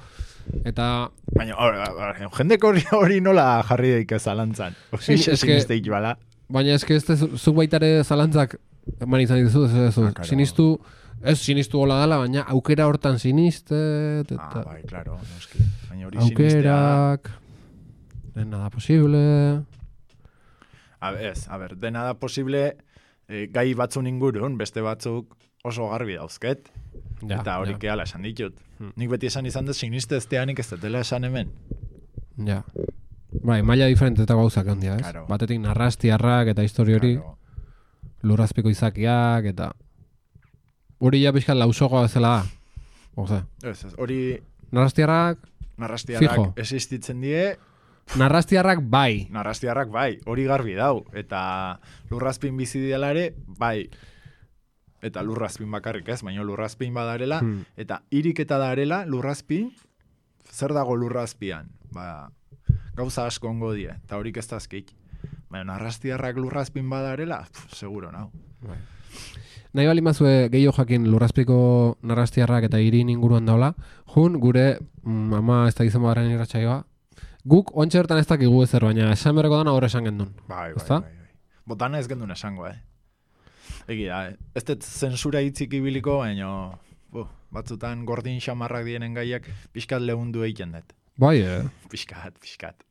eta... Baina, or, or, jendek hori, hori nola jarri daik zalantzan. Sin, siniste ditu bala. Baina eske ez zuk baitare zalantzak eman izan dituzu, ez ez, ah, sinistu, ez sinistu gola dela, baina aukera hortan siniste... Eta, ah, bai, klaro, noski. Baina hori aukerak, de nada posible... A ber, ez, a ber, de nada posible eh, gai batzun ingurun, beste batzuk oso garbi dauzket, ja, eta hori ja. Kehala esan ditut. Hmm. Nik beti esan izan dut siniste ez teanik ez detela esan hemen. Ja. Bai, maila diferentetako gauzak handia, ez? Claro. Batetik narrastiarrak eta histori hori, claro. Lurrazpiko izakiak eta... Hori ja pixkat lausogoa bezala da. Oze. Ez, ez, hori... Narrastiarrak... Narrastiarrak fijo. Existitzen die... Narrastiarrak bai. Narrastiarrak bai, hori garbi dau. Eta lurrazpin bizi diela ere, bai. Eta lurrazpin bakarrik ez, baina lurrazpin badarela. Hmm. Eta iriketa darela, lurrazpin, zer dago lurrazpian? Ba, gauza asko ongo die, eta horik ez dazkik. Baina narrastiarrak lurrazpin badarela, pff, seguro nau. Bai. Nahi bali mazue gehiago jakin lurrazpiko narrastiarrak eta irin inguruan daula, jun gure mm, ama ez da gizan badaren irratsaioa, guk ontsa bertan ez dakigu ezer, baina esan berreko dana horre esan gendun. Bai, bai, bai, bai. Botana ez gendun esango, eh? Egi da, eh? Ez dut zensura hitzik ibiliko, baina uh, batzutan gordin xamarrak dienen gaiak pixkat lehundu egiten dut. Bai, eh? Pixkat, pixkat.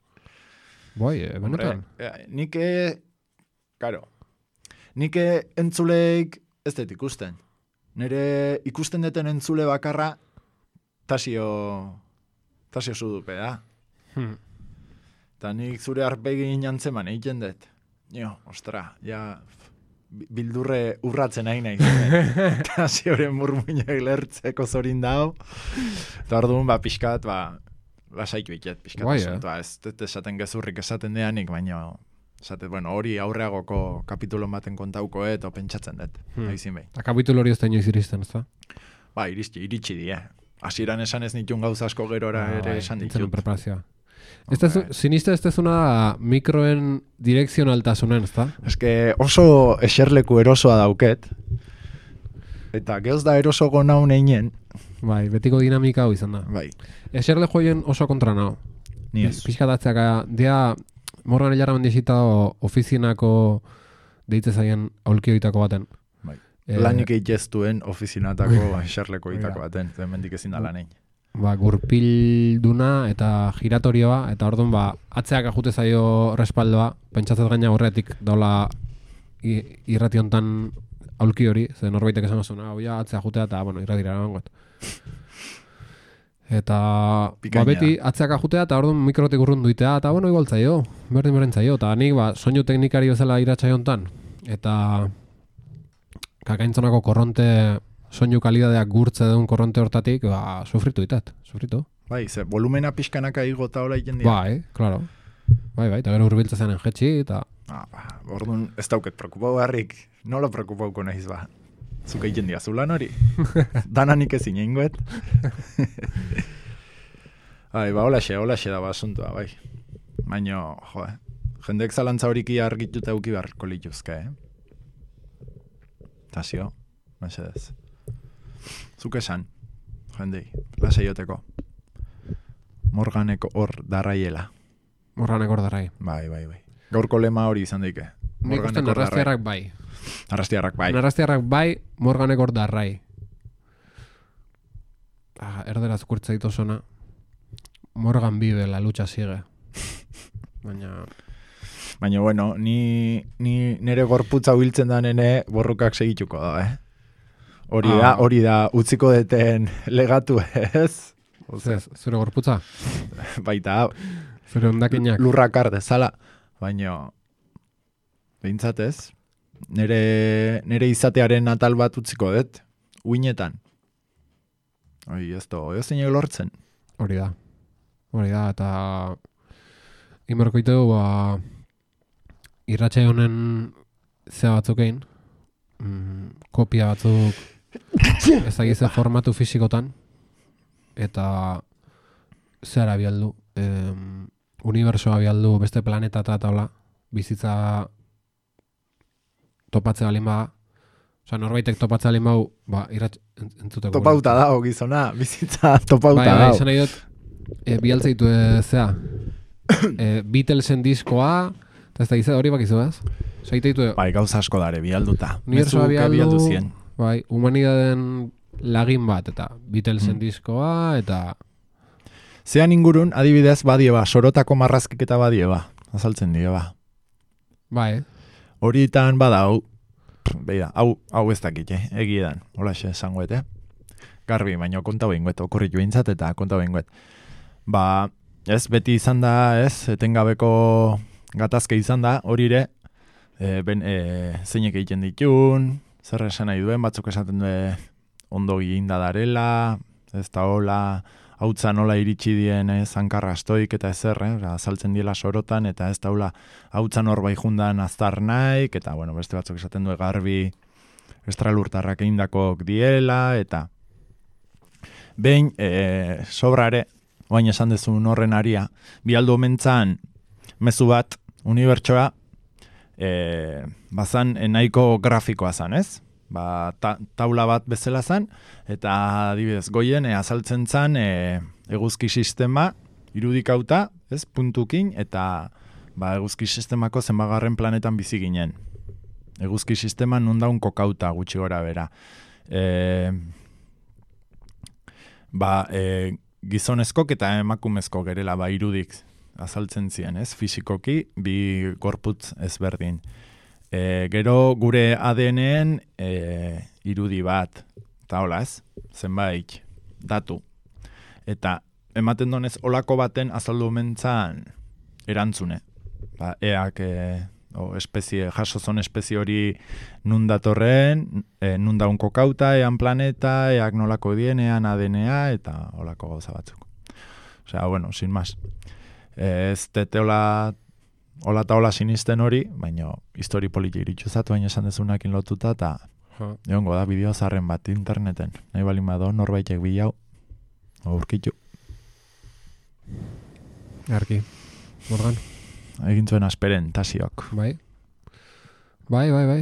Bai, eh, benetan. Eh, nik, eh, karo, nik entzuleik ez dut ikusten. Nire ikusten deten entzule bakarra tasio, tasio zudupe da. Hmm. Eta nik zure arpegin jantzeman egiten dut. Jo, ostra, ja bildurre urratzen nahi nahi. Eta zioren murmuinak lertzeko zorin dao. Eta orduan, ba, pixkat, ba, lasaik biket, pixkat. Bai, eh? Ba, ez dut esaten gezurrik esaten deanik, baina, esaten, bueno, hori aurreagoko kapitulo baten kontauko, eta pentsatzen dut. Hmm. Haizin behin. Eta kapitulo hori ez da inoiz iristen, ez da? Ba, iritsi, iritsi die. Hasieran esan ez nitun gauza asko gerora ah, ere esan ditut. Preparazioa. Ez da, siniste ez dezuna mikroen direkzionaltasunen, ez da? Ez que oso eserleku erosoa dauket. Eta gehoz da eroso gona uneinen. Bai, betiko dinamika hau izan da. Bai. Eserle joien oso kontra nao. Ni ez. Piskatatzea, dia Morgan Elarra mendizita ofizinako deitze zaien aulkioitako baten. Bai. E, Lanik eiteztuen ofizinatako eserleko itako baten. Mendik ezin da lanein. Ba, gurpilduna eta giratorioa, eta orduan ba, atzeak ajute zaio respaldoa, pentsatzat gaina horretik daula irrati hontan aulki hori, ze norbaitek esan azuna, oia, atzea ajutea, eta, bueno, irratira eramangoet. Eta, ba, beti atzeak ajutea, eta orduan mikrotik urrun duitea, eta, bueno, igual zaio, berdin berdin zaio, eta nik, ba, soinu teknikari bezala iratxai hontan, eta kakaintzonako korronte soinu kalidadeak gurtze duen korronte hortatik, ba, sufritu ditat, sufritu. Bai, ze volumena pixkanaka igota hola iten dira. Bai, claro. Bai, bai, eta gero urbiltza zen jetxi, eta... Ah, ba, orduan ez dauket preokupau harrik, nola preokupauko nahiz ba. Zuka iten dira zulan hori. Dananik ezin ingoet. Bai, ba, holaxe, holaxe da ba asuntua, bai. Baina, jo, jendek zalantza horiki argituta euki beharko lituzke, eh? Tasio, mesedez. Zuk esan, jendei, lasaioteko. Morganeko hor darraiela. Morganeko hor darrai. Bai, bai, bai. Gaurko lema hori izan daike. Nik uste narrastiarrak bai. Narrastiarrak bai. Narrastiarrak bai, Morganeko hor darrai. Ah, erderaz kurtza ditu zona. Morgan vive, la lucha sigue. Baina... Baina, bueno, ni, ni nere gorputza hiltzen da nene borrokak segituko da, eh? Hori ah. da, hori da, utziko deten legatu, ez? Zez, zure gorputza? Baita, zure ondakinak. Lurrakar dezala, baina, behintzatez, nere, nere izatearen atal bat utziko dut, uinetan. Oi, ez to, ez zeinek lortzen. Hori da, hori da, eta imerkoite du, ba, irratxe honen zea batzukein, mm, kopia batzuk ez dakize formatu fizikotan, eta zehara bialdu, em, unibersoa bialdu beste planeta eta taula, bizitza topatze balin baga, oza, norbaitek topatze balin bau, ba, irratxe entzuteko. Topauta dago gizona, bizitza topauta bai, dago. Bai, izan nahi dut, e, bialtzeitu e, zea, e, Beatlesen diskoa, eta ez da gizea hori bakizu ez? Zaiteitu... Bai, gauza asko dare, bialduta. Unibersoa bialdu, bialdu zien. Bai, humanidaden lagin bat, eta Beatlesen mm. diskoa, eta... Zean ingurun, adibidez, badieba, sorotako marrazkik eta badieba, azaltzen dieba. Bai. Horitan badau, beida, hau, hau ez dakit, eh? Egiedan, holaxe esangoet, eh? Garbi, baino konta behinguet, okurritu behintzat eta konta behinguet. Ba, ez, beti izan da, ez, etengabeko gatazke izan da, hori ere, e, ben, e, zeinek egiten ditun, zer esan nahi duen, batzuk esaten du ondo ginda darela, ez da hola, hautza nola iritsi dien zankarra astoik eta ezer, eh? Azaltzen diela sorotan, eta ez daula hautza norbai jundan aztar naik, eta bueno, beste batzuk esaten du garbi estralurtarrak eindakok diela, eta behin e, sobrare, oain esan dezun horren aria, bialdu omentzan mezu bat, unibertsoa, e, bazan nahiko grafikoa zan, ez? Ba, ta, taula bat bezala zan, eta adibidez goien e, azaltzen zan e, eguzki sistema irudikauta, ez, puntukin, eta ba, eguzki sistemako zenbagarren planetan bizi ginen. Eguzki sistema nundaun kokauta gutxi gora bera. E, ba, e, gizonezkok eta emakumezko gerela ba, irudik azaltzen ziren, ez, fisikoki, bi gorputz ezberdin. E, gero gure A D N-en e, irudi bat, eta hola ez, zenbait, datu. Eta ematen donez olako baten azaldu mentzan erantzune. Ba, eak, e, o, espezie, jasozon espezie hori nun datorren, e, nun daun kokauta, ean planeta, eak nolako dien, ean A D N-a, eta olako gauza batzuk. Osea, bueno, sin más. E, ez teteola... Ola eta ola sinisten hori, baina histori politi iritxuzatu baina esan dezunakin lotuta, eta egongo da bideo zarren bat interneten. Nahi balin bado, norbaitek bilau, aurkitu. Arki, Morgan. Egin zuen asperen, tasiok. Bai, bai, bai, bai.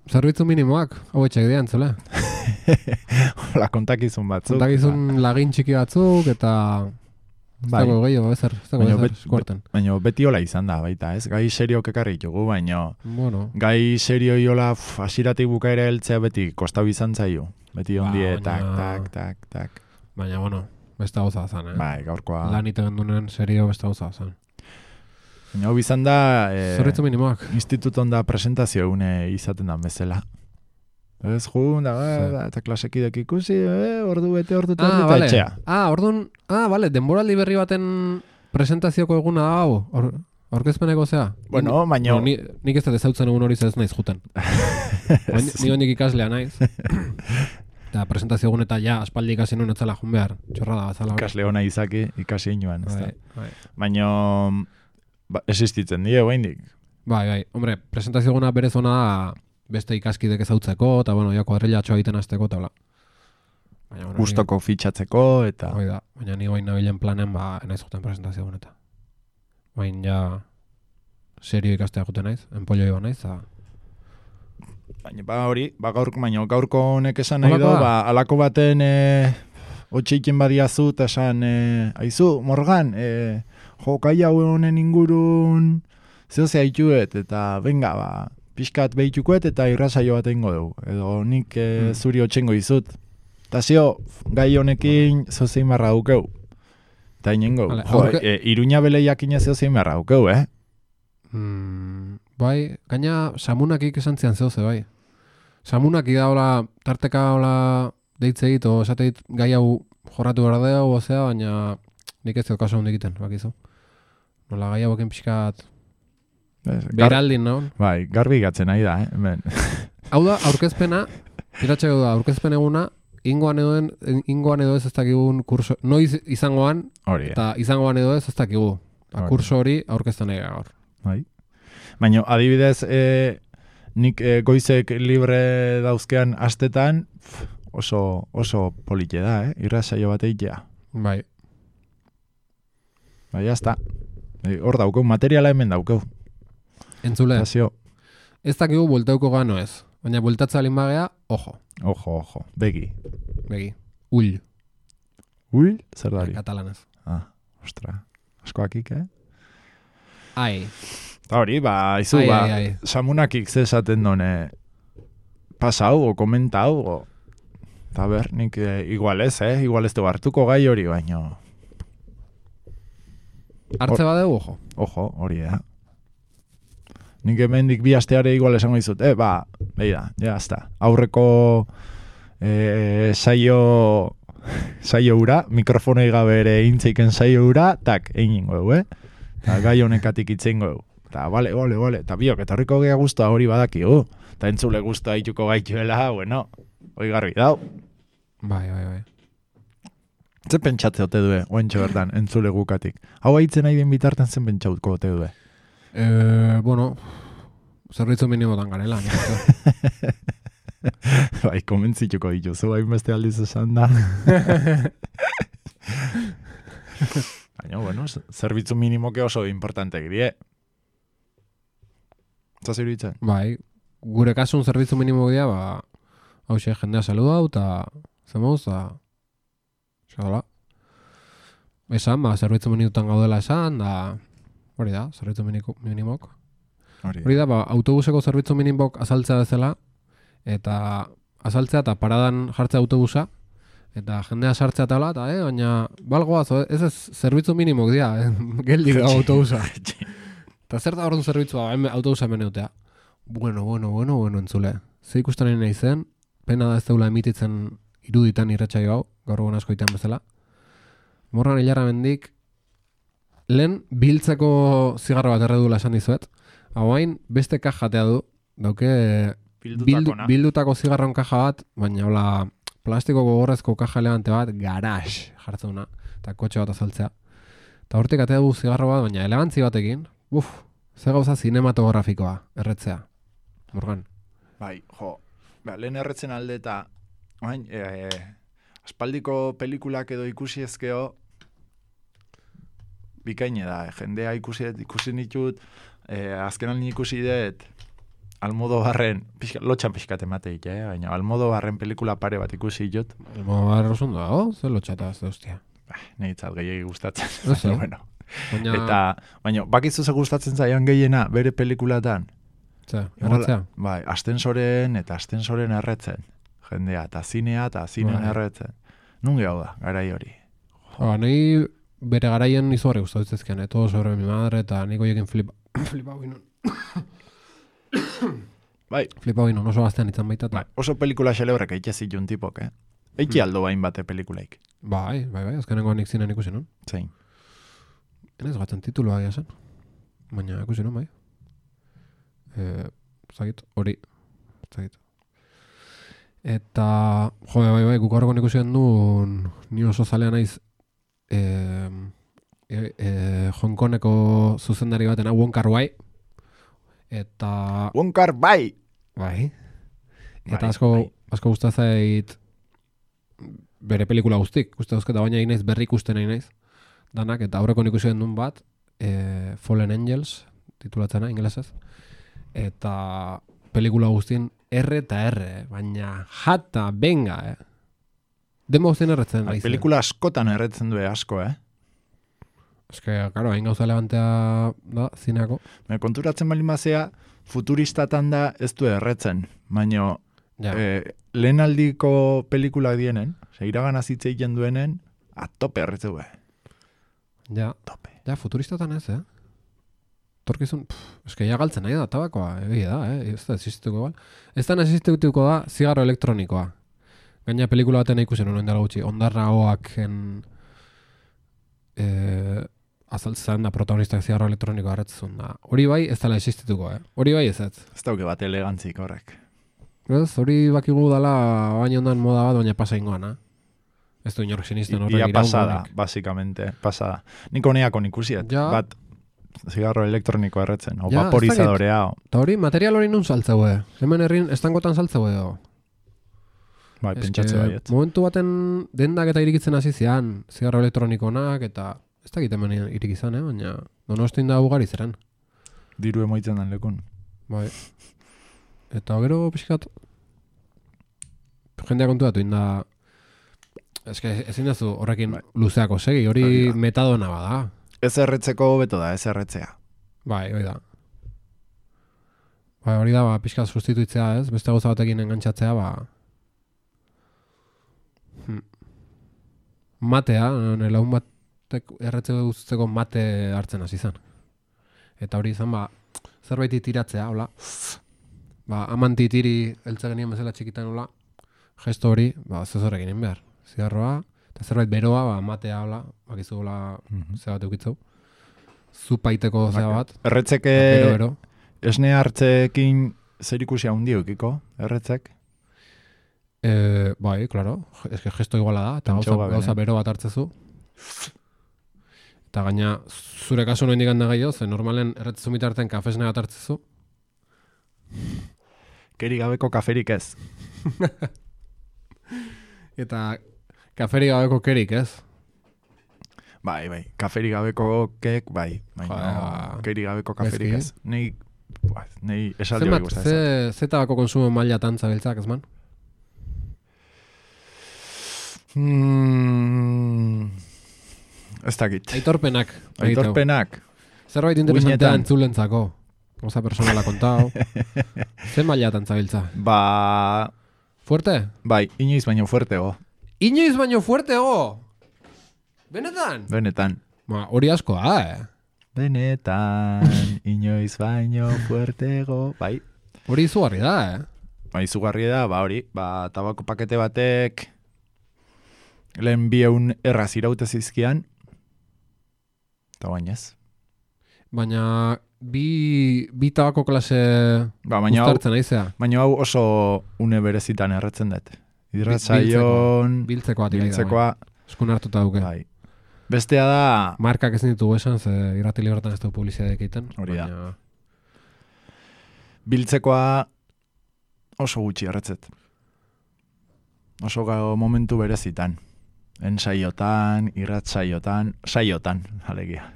Zerbitzu minimoak, hau etxek dian, zela. Hola, kontakizun batzuk. Kontakizun lagin txiki batzuk, eta... Bai. Zago gehiago, ezer, zago ezer, bet, eskuarten. Baina beti hola izan da, baita, ez? Gai serioak ekarri ditugu, baina bueno. Gai serio iola hasiratik bukaera heltzea beti kostau izan zaio. Beti ondie, ba, tak, tak, tak, tak. Baina, bueno, beste gauza zan, eh? Bai, gaurkoa. Lan iten dunen serio beste gauza zan. Baina hau izan da... Eh, Zorritzu minimoak. Instituton da presentazio une izaten da bezala. Ez jun, da, da, eta klasekidek ikusi, eh, ordu bete, ordu eta ah, vale. Etxea. Ah, orduan, ah, bale, denboraldi berri baten presentazioko eguna hau. Or, Aurkezpeneko zea? Bueno, Ni- baino- ni, nik ez da ezautzen egun hori ez naiz juten. Baina, ni oinik ikaslea naiz. Eta presentazio egun eta ja, aspaldi ikasi nuen etzala jun behar. Txorrada bazala. hori. Ikasle hona izaki, ikasi inoan, ez da. Bai, bai. Baina, ba, existitzen die, oraindik. Bai, bai. Hombre, presentazio eguna berez ona da beste ikaskidek ezautzeko, eta bueno, ja kuadrilatxoa egiten hasteko, eta bla. Baina, bueno, Gustoko fitxatzeko, eta... Hoi da, baina ni guain nabilen planen, ba, enaiz juten presentazio eguneta. Baina ja, serio ikastea juten naiz, enpollo iba naiz, eta... Baina, ba hori, ba gaurko, baina gaurko honek esan nahi Holakoa? do, ba, alako baten e, otxeiken badiazu, eta esan, e, aizu, Morgan, e, jo, kai hau honen ingurun, zehozea ituet, eta venga, ba, pixkat behitukuet, eta irrasaio bat egingo dugu. Edo nik e, Hmm. zuri otxengo izut. Eta zio, gai honekin zozein barra dukeu. Eta inengo, Vale, jo, aurke- e, iruña beleiakin zozein barra dukeu, eh? Mm, bai, gaina samunakik esan zian zeuze, bai. Samunaki da hola, tarteka hola deitzeit, o esateit gai hau jorratu behar da, o zea, baina nik ez dut kaso hondik egiten, bakizu. Nola gai hauekin pixkat Gar, beraldin naun. bai, garbi gatzen nahi da, eh? Hemen. Hau da, aurkezpena, iratxeko da, aurkezpen eguna, ingoan edo, ingoan edo ez ez dakigun kurso, noiz izangoan, Hori, eta izangoan edo ez ez dakigu. Ba, Hori. kurso hori aurkezten nahi gaur. bai. Baina, adibidez, e, nik e, goizek libre dauzkean astetan, pf, oso, oso polite da, eh? Irrasaio bat eitea. Bai, Bai, jazta. E, hor daukeu, materiala hemen daukeu. entzule, Zazio, ez dakigu buelteuko gano ez. Baina bueltatza alin bagea, ojo, ojo, ojo, begi. begi, ull, Ui, zer da hori? katalanez. Ah, ostra, askoakik, eh? Ai, Eta hori, ba, izu, ai, ba, ai, ai. samunakik ze esaten done, pasa hau, o komenta hau, o... Eta ber, nik e, igual ez, eh? Igual ez du hartuko gai hori, baino... Hartze badeu, ojo. Ojo, hori da. Nik hemendik bi asteare igual esango dizut, eh, ba, behi da, ja, hasta. Aurreko eh, saio, saio ura, mikrofonei gabe ere intzeiken saio ura, tak, egin dugu, eh? Eta gai honekatik itzen dugu. Eta, bale, bale, bale, eta biok, eta horriko gea guztua hori badakigu. Eta entzule guztua hituko gaituela, bueno, hoi garbi dau. Bai, bai, bai. Zer pentsatze ote due, oentxo bertan, entzule gukatik. Hau haitzen nahi den bitartan zen pentsauko ote due. Eh, bueno, zerbitzu minimotan garela. nik uste. Bai, komentzituko dituzu, hain beste aldiz esan da. Baina, bueno, z- zerbitzu minimoke oso importantek die. Zaz iruditzen? Bai, gure kasun zerbitzu minimo dira, ba, hau xe, jendea saludau, eta zemuz, eta... Xadola. Esan, ba, zerbitzu minimotan gaudela esan, da... Hori da, zerbitzu miniko- minimok. Hori. Hori da, ba, autobuseko zerbitzu minimok azaltzea bezala, eta azaltzea eta paradan jartzea autobusa, eta jendea sartzea eta hola, eta, eh, baina, balgoaz, ez ez, zerbitzu minimok dira, eh, geldi da autobusa. Eta zer da horren zerbitzua, hemen autobusa hemen eutea. Bueno, bueno, bueno, bueno, entzule. Ze ikusten nahi zen, pena da ez deula emititzen iruditan irratsaio hau, gaur egun asko itean bezala. Morgan hilarra mendik, lehen biltzeko zigarro bat erredula esan dizuet. Hauain, beste kajatea du, dauke bildu, Bildutakona. bildutako zigarron kaja bat, baina hola plastiko gogorrezko kaja elegante bat, garax jartzeuna, eta kotxe bat azaltzea. Eta hortik atea du zigarro bat, baina elegantzi batekin, uf, ze gauza zinematografikoa, erretzea. Morgan. Bai, jo, ba, lehen erretzen alde eta, bain, e, aspaldiko pelikulak edo ikusi ezkeo, bikaine da, eh? Jendea ikusi, ikusi nitut, e, azken aldi ikusi dut, Almodobarren, pixka, lotxan pixkat emateik, eh? Baina Almodobarren pelikula pare bat ikusi jut, Elmo barra osundu dago, ze lotxata, ze hostia. bah, nehitzat gehiagi gustatzen. Ez, eh? Baina, bueno. Baina, Eta, baina, bakizu ze gustatzen zaian gehiena, bere pelikulatan, ze, erretzea. bai, astensoren eta astensoren erretzen. Jendea, eta zinea, eta zinean Bai. erretzen. Nun hau da, garai hori. Ba, nahi bere garaien izugarri gustatzen eh? Todo sobre mi madre, eta nik hoiekin flipa, flipau ginen. Bai, Flipau ginen, oso gaztean izan baita. bai, Eta, oso pelikula xelebrek eitxe zitun tipok, eh? Eiki aldo bain bate pelikulaik. bai, bai, bai, azkenengo nik zinen ikusi non. Zein. Enez gatzen tituloa gira zen. baina ikusi non bai. Eh, zagit, hori, zagit. Eta, jo, bai, bai, guk horrekon ikusi duen, ni oso zalea naiz, eh, eh, eh, Hong Kongeko zuzendari batena, Wong Kar-wai, eta... Wong Kar-wai! Bai. Eta Bai, asko, bai. asko gustazait bere pelikula guztik, uste dauzketa, baina inaiz berri ikusten nahi naiz, danak, eta aurreko ikusi den duen bat, e, Fallen Angels, titulatzena, ingelesez, eta pelikula guztien R eta R, baina jata, benga, eh? Demo guztien erretzen. Bai, pelikula askotan erretzen du asko, eh? Ez que, karo, hain gauza levantea da, zineako. Me konturatzen bali mazea, futuristatan da ez du erretzen, baina Ja. eh, lehen aldiko pelikulak dienen, ze iragan azitzeik duenen, atope erretzeu, eh? Ja, Tope. ja, futuristatan ez, eh? Torkizun, pff, eske ja galtzen nahi da, tabakoa, egia da, eh? Ez da existituko igual. Ez da existituko da, zigarro elektronikoa. Gaina pelikula baten ikusen honen dela gutxi, ondarra hoaken eh, azaltzen da protagonistak zigarro elektronikoa harretzun da. Hori bai ez dela existituko, eh? Hori bai ez ez. Ez dauke bat elegantzik horrek. Ez, hori bakigu dala baina ondan moda bat, baina pasa ingoan, eh? Ez du inork sinisten horrek Ia pasada, iraungonik. basikamente, pasada. Nik honeako ikusiet, Ja. bat zigarro elektroniko erretzen, o Ja, vaporizadorea, o. Eta hori, material hori nun saltzeue. Hemen herrin estangotan saltzeue, o. Bai, Ez pentsatze que baiet. momentu baten dendak eta irikitzen hasi zian, zigarro elektronikonak, eta ez dakit hemen irik izan, eh? Baina Donostin da ugari zeren. Diru emoitzen den lekun. Bai. Eta gero pixkat jendea kontuatu inda, eske ezin dazu horrekin Bai. luzeako segi, hori Hori da. metadona bada. Ez erretzeko hobeto da, ez erretzea. Bai, hori da. Bai, hori da, ba, pixkat sustituitzea, ez? Beste gauza batekin engantzatzea, ba... Hmm. Matea, nire lagun batek erretze guzteko mate hartzen hasi zen. Eta hori izan, ba, zerbaiti tiratzea, hola. Ba, amanti tiri eltze genien bezala txikitan, hola. Gesto hori, ba, zezorrek egin behar. Zigarroa, eta zerbait beroa, ba, matea, hola. Bakizu, hola, Mhm. ze bat eukitzeu. Zupaiteko zea bat. Erretzeke Bero, bero. esne hartzeekin zer ikusi handi eukiko, erretzek? Eh, bai, claro. Es que gesto iguala da, eta Pentsau gauza, gabe, gauza eh? bero bat hartzezu. Eta gaina, zure kasu noen digan da gehiago, ze normalen erretzezu mitarten kafesne bat hartzezu. Keri gabeko kaferik ez. Eta kaferi gabeko kerik, ez? Bai, bai, kaferik gabeko kek, bai. Baina, Joder, keri gabeko kaferik gaizki. ez. Nei, buah, nei esaldi hori Zenbat, gustatzen. ze, ze tabako konsumo maila tantza biltzak, ez man? Mm, ez dakit. Aitorpenak. egiteu. Aitorpenak. Zerbait interesantea Uinetan. entzulentzako. Oza personala kontau. Ze maila tantza biltza? Ba, Fuerte? bai, inoiz baino fuertego. Inoiz baino fuertego! Benetan? Benetan. Ba, hori asko da, eh? Benetan, inoiz baino fuertego. Bai, Hori izugarri da, eh? ba, izugarri da, ba hori, ba, tabako pakete batek lehen bi eun erraz iraute zizkian, eta bainez. Baina bi, bi tabako klase Ba, baina hau, uztartzen aizea. baina hau oso une berezitan erretzen dut. Hidratzaion, Biltzeko bat irai da. biltzekoa, bai. Eskun hartuta duke. bai. Bestea da, Markak ezin ditugu esan, ze irrati libertan ez dugu publizitateak egiten. Hori da. baina- biltzekoa oso gutxi erretzet. Oso gau momentu berezitan. Ensaiotan, irratsaiotan, saiotan, alegia.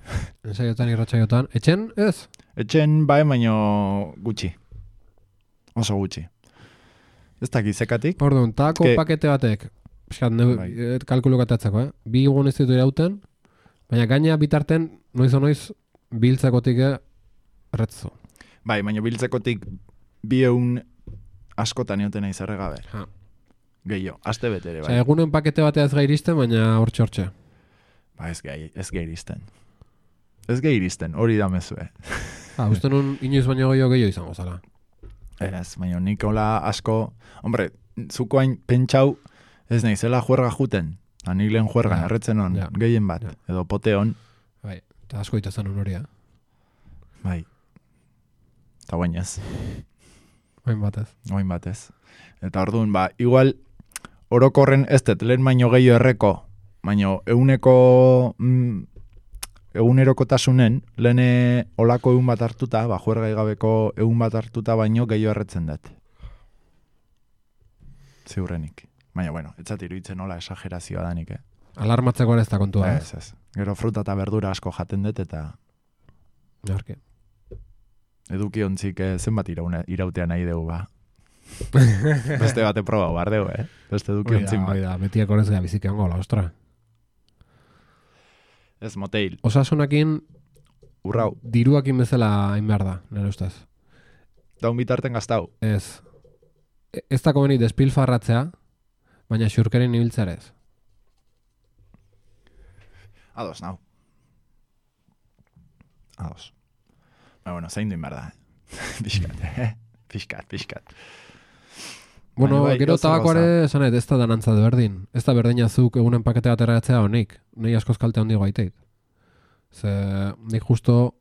Ensaiotan, irratsaiotan. Etxen, ez? Etxen bai, baino gutxi. Oso gutxi. Ez dakit zekatik. Orduan, tako Eske- pakete batek, pixkat, neu, Bai. eh, kalkulu katatzeko, eh? Bi egun ez ditu irauten, baina gaina bitarten, noiz o noiz, biltzekotik erretzu. Bai, baino biltzekotik bi eun askotan eoten nahi zerregabe. Ha. Gehiago, aste betere, bai. Osea, egunen pakete batea ez gairisten, baina hortxe hortxe. Ba, ez gai, ez gai iristen. Ez gai iristen, hori da mezue. Ha, uste nun inoiz baino gehiago gehiago izango zala. Ez, baina nik hola asko, hombre, zuko hain pentsau, ez nahi zela juerga juten. Anik lehen juergan, Ja, erretzen hon, ja, gehien bat, ja. edo pote hon. Bai, eta asko ita zen hori, eh? Bai. Eta guain ez. Oin batez. Oin batez. Eta orduan, ba, igual, orokorren ez dut, lehen baino gehiago erreko, baino euneko, mm, egunerokotasunen, lehen olako egun bat hartuta, ba, juergai gabeko egun bat hartuta baino gehiago erretzen dut. Ziurrenik. Baina, bueno, etzat iruditzen nola esagerazioa danik, eh? Alarmatzeko ez da kontua. Ez, ez. Gero fruta eta berdura asko jaten dut eta Jarki. eduki ontzik eh, zenbat iraune, irautea nahi dugu, ba. Beste bate proba bar dugu, eh? Beste eduki ontzin ba. Oida, betiak horrez gara biziki ongo, la ostra. Ez moteil. Osasunakin, Urrau. diruakin bezala hain behar da, nire ustez. Daun bitarten gaztau. Ez. E- Ez da komeni despilfarratzea, baina xurkerin ibiltzarez. Ados, nau. Ados. Ba, bueno, zein duin behar da, eh? Piskat, eh? Piskat, piskat. Bueno, Baina bai, gero gauza tabakoare gauza. esanet, ez da danantza de berdin. Ez da berdina zuk egunen pakete bat erratzea honik. Nei askoz kalte handi gaiteit. Ze, nik justo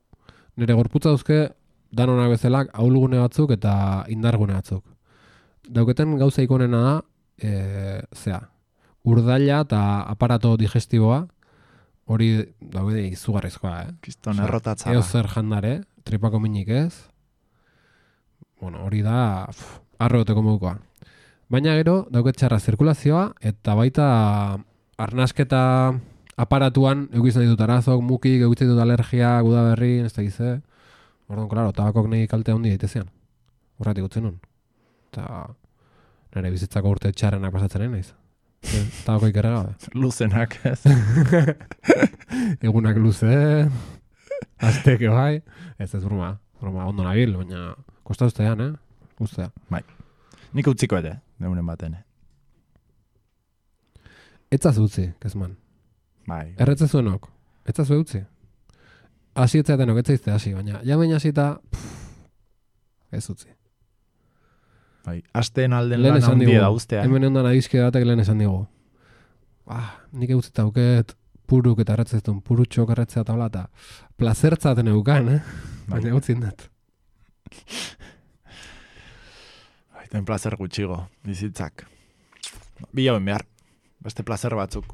nire gorputza dauzke danonak bezalak ahulgune batzuk eta indargune batzuk. Dauketen gauza ikonena da, e, zea, urdaila eta aparato digestiboa, hori daude izugarrizkoa, eh? Kiston Osea, errotatzara. Eo zer jandare, tripako minik ez. Bueno, hori da pff, arrogoteko modukoa. Baina gero, dauket txarra zirkulazioa, eta baita arnasketa aparatuan eukizan ditut arazok, mukik, eukizan ditut alergia, gudaberri, ez da gize. Orduan, klaro, tabakok nahi kalte handi daitezean. Horretik utzen nun. Eta nire bizitzako urte txarrenak pasatzen nahi naiz. Tabako ikerre gabe. Luzenak, ez? Egunak luze, azteke bai. Ez ez broma, broma ondo nabil, baina kosta ustean, eh? Ustea. Bai. Nik utziko ere, neunen baten. Etzaz utzi, kezman. Bai. Erretze zuenok, etzaz utzi. Hasi etzatenok, etzaizte hasi, baina jamen hasita, ez utzi. Bai. Asteen alden Lehen lan esan handia digu, da ustea. hemen ondan adizkide batek lehen esan digu. Ah, nik eutzita auket puruk eta erretzez duen, purutxok erretzea tabla eta plazertzaten eukan, eh? Baina utzin dut. Aiten placer gutxigo, bizitzak. Bilauen behar, beste placer batzuk.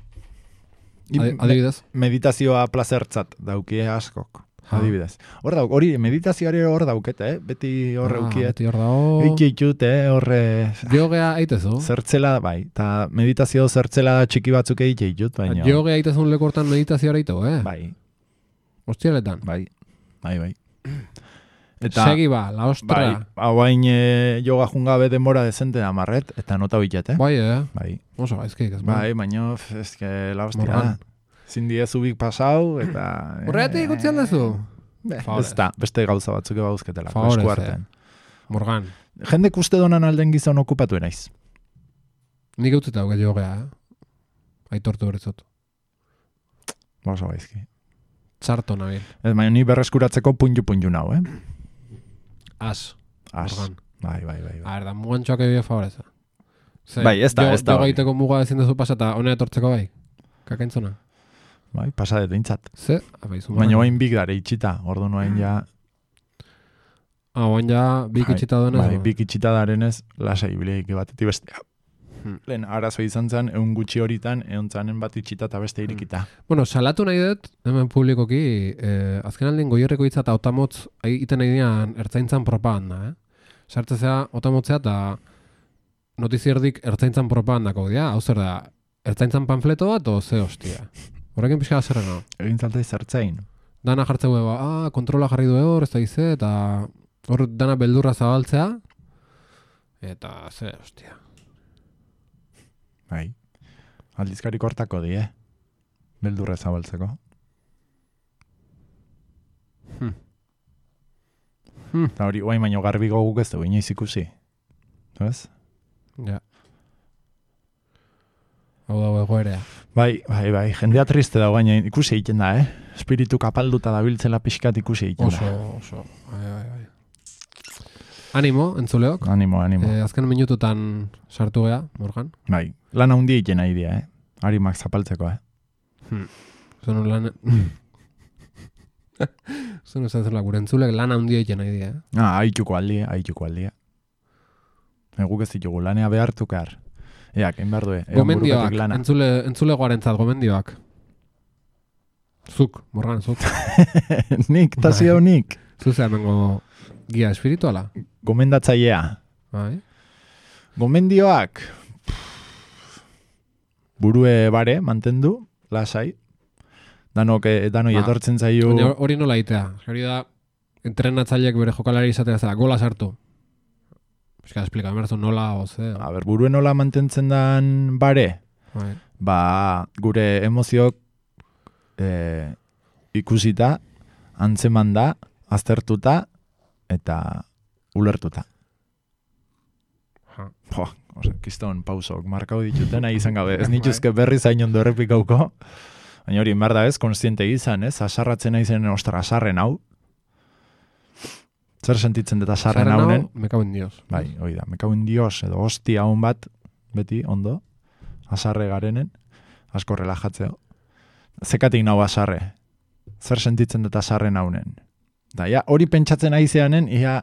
I- Adi- Adibidez? Meditazioa plazertzat daukie askok. Ha. Adibidez. Hor dauk, hori meditazioare hor daukete, eh? Beti hor Ah, eukiet. beti hor dago. Eikitut, eh? Horre... Jogea aitezu. Zertzela, bai. Ta meditazio zertzela txiki batzuk egitut, baina... Jogea aitezun lekortan meditazioa aitu, eh? Bai, Hostialetan. bai, bai, bai. Eta... Segi ba, la ostra. Bai, hauain e, joga jungabe denbora dezente da marret, eta nota bitet, eh? Bai, eh? Bai, Oso gaizkik, ez bai, baina, f- eske, la hostia da. Morgan. Zindi ez ubik pasau, eta... Horregatik utzi aldezu? Be, Favorez. ez da, beste gauza batzuk ebauzketela, Favorez, esku eh. artean. Morgan. Jendek uste donan alden gizon okupatu naiz. Nik utzita hauke jogea, eh? Aitortu horretzot. Oso gaizki. Txarto nabil. Ez, baina ni berreskuratzeko punju-punju nau, eh? As. As. Morgan. Bai, bai, bai. A bai. ver, da mugantxoak ebio favoreza. Ze, Bai, ez da, jo- ez da Joga hori. egiteko muga ezin duzu pasata, honea etortzeko bai. Kakaintzona. Bai, pasadet dintzat. Ze? Abaizu. Baina oain bik dare itxita, ordu noain ja... Ah, oain ja, bik Bai, itxita duenez. Bai, bik itxita darenez, lasai bileik batetik bestea. Hmm. Lehen, arazo izan zen, egun gutxi horitan, egon zanen bat itxita eta beste irikita. Bueno, salatu nahi dut, hemen publikoki, eh, azken aldien goierreko hitza eta otamotz egiten nahi dian ertzaintzan propaganda, eh? Sartzea otamotzea eta notizierdik ertzaintzan propagandako dira, hau zer da, ertzaintzan panfleto bat o ze hostia. Horrekin pixka zerrena. Egin zaltai zertzein. Dana jartzeu eba, ah, kontrola jarri du hor, ez da gize, eta hor dana beldurra zabaltzea, eta ze hostia. Bai. Aldizkarik hortako di, eh? Beldurra zabaltzeko. Hmm. Hmm. Eta hori, guain baino garbiko guk ez dugu inoiz ikusi. Ez? Ja. Hau dago egoerea. Bai, bai, bai, jendea triste dago baina ikusi egiten da, eh? Espiritu kapalduta dabiltzela pixkat ikusi egiten Oso, da. oso. Ai, ai, ai. Animo, entzuleok. Animo, animo. Eh, azken minututan sartu gea, Morgan. Bai, lan handi egiten nahi dia, eh? Harimak zapaltzeko, eh? Hmm. Zuen lan... Zuen ez zela, gure entzulek lan handia egiten nahi dira. Eh? Ah, haituko aldia, haituko aldia. Eguk ez ditugu, lanea behartukar. Ea, kein behar du, gomendioak, entzule, entzule goarentzat, gomendioak. Zuk, morgan, zuk. Nik, tasi hau nik. Zuzea mengo gia espirituala. Gomendatzailea. Bai. Gomendioak. Burue bare, mantendu, lasai. Danok, danoi ba, etortzen zaio. Hori nola itea. Hori da, entrenatzaileek bere jokalari izatea zela, gola sartu. Eska, esplika, emerzu nola, oze. A ber, burue nola mantentzen dan bare. Bai. Ba, gure emoziok e, ikusita, antzeman da, aztertuta, eta ulertuta. Ha. Po, ose, kiston pausok, markau dituten, nahi izan gabe. Ez nituzke berri zain ondo errepikauko. Baina hori, merda ez, konstiente izan, ez? Asarratzen nahi zen, ostra, asarren hau. Zer sentitzen dut asarren haunen? Me cago en Dios. Bai, hoi da, me cago en Dios, edo hostia hon bat, beti, ondo, asarre garenen, asko relajatzeo. Zekatik nau asarre? Zer sentitzen dut asarren haunen? Da, ja, hori pentsatzen nahi zeanen, ia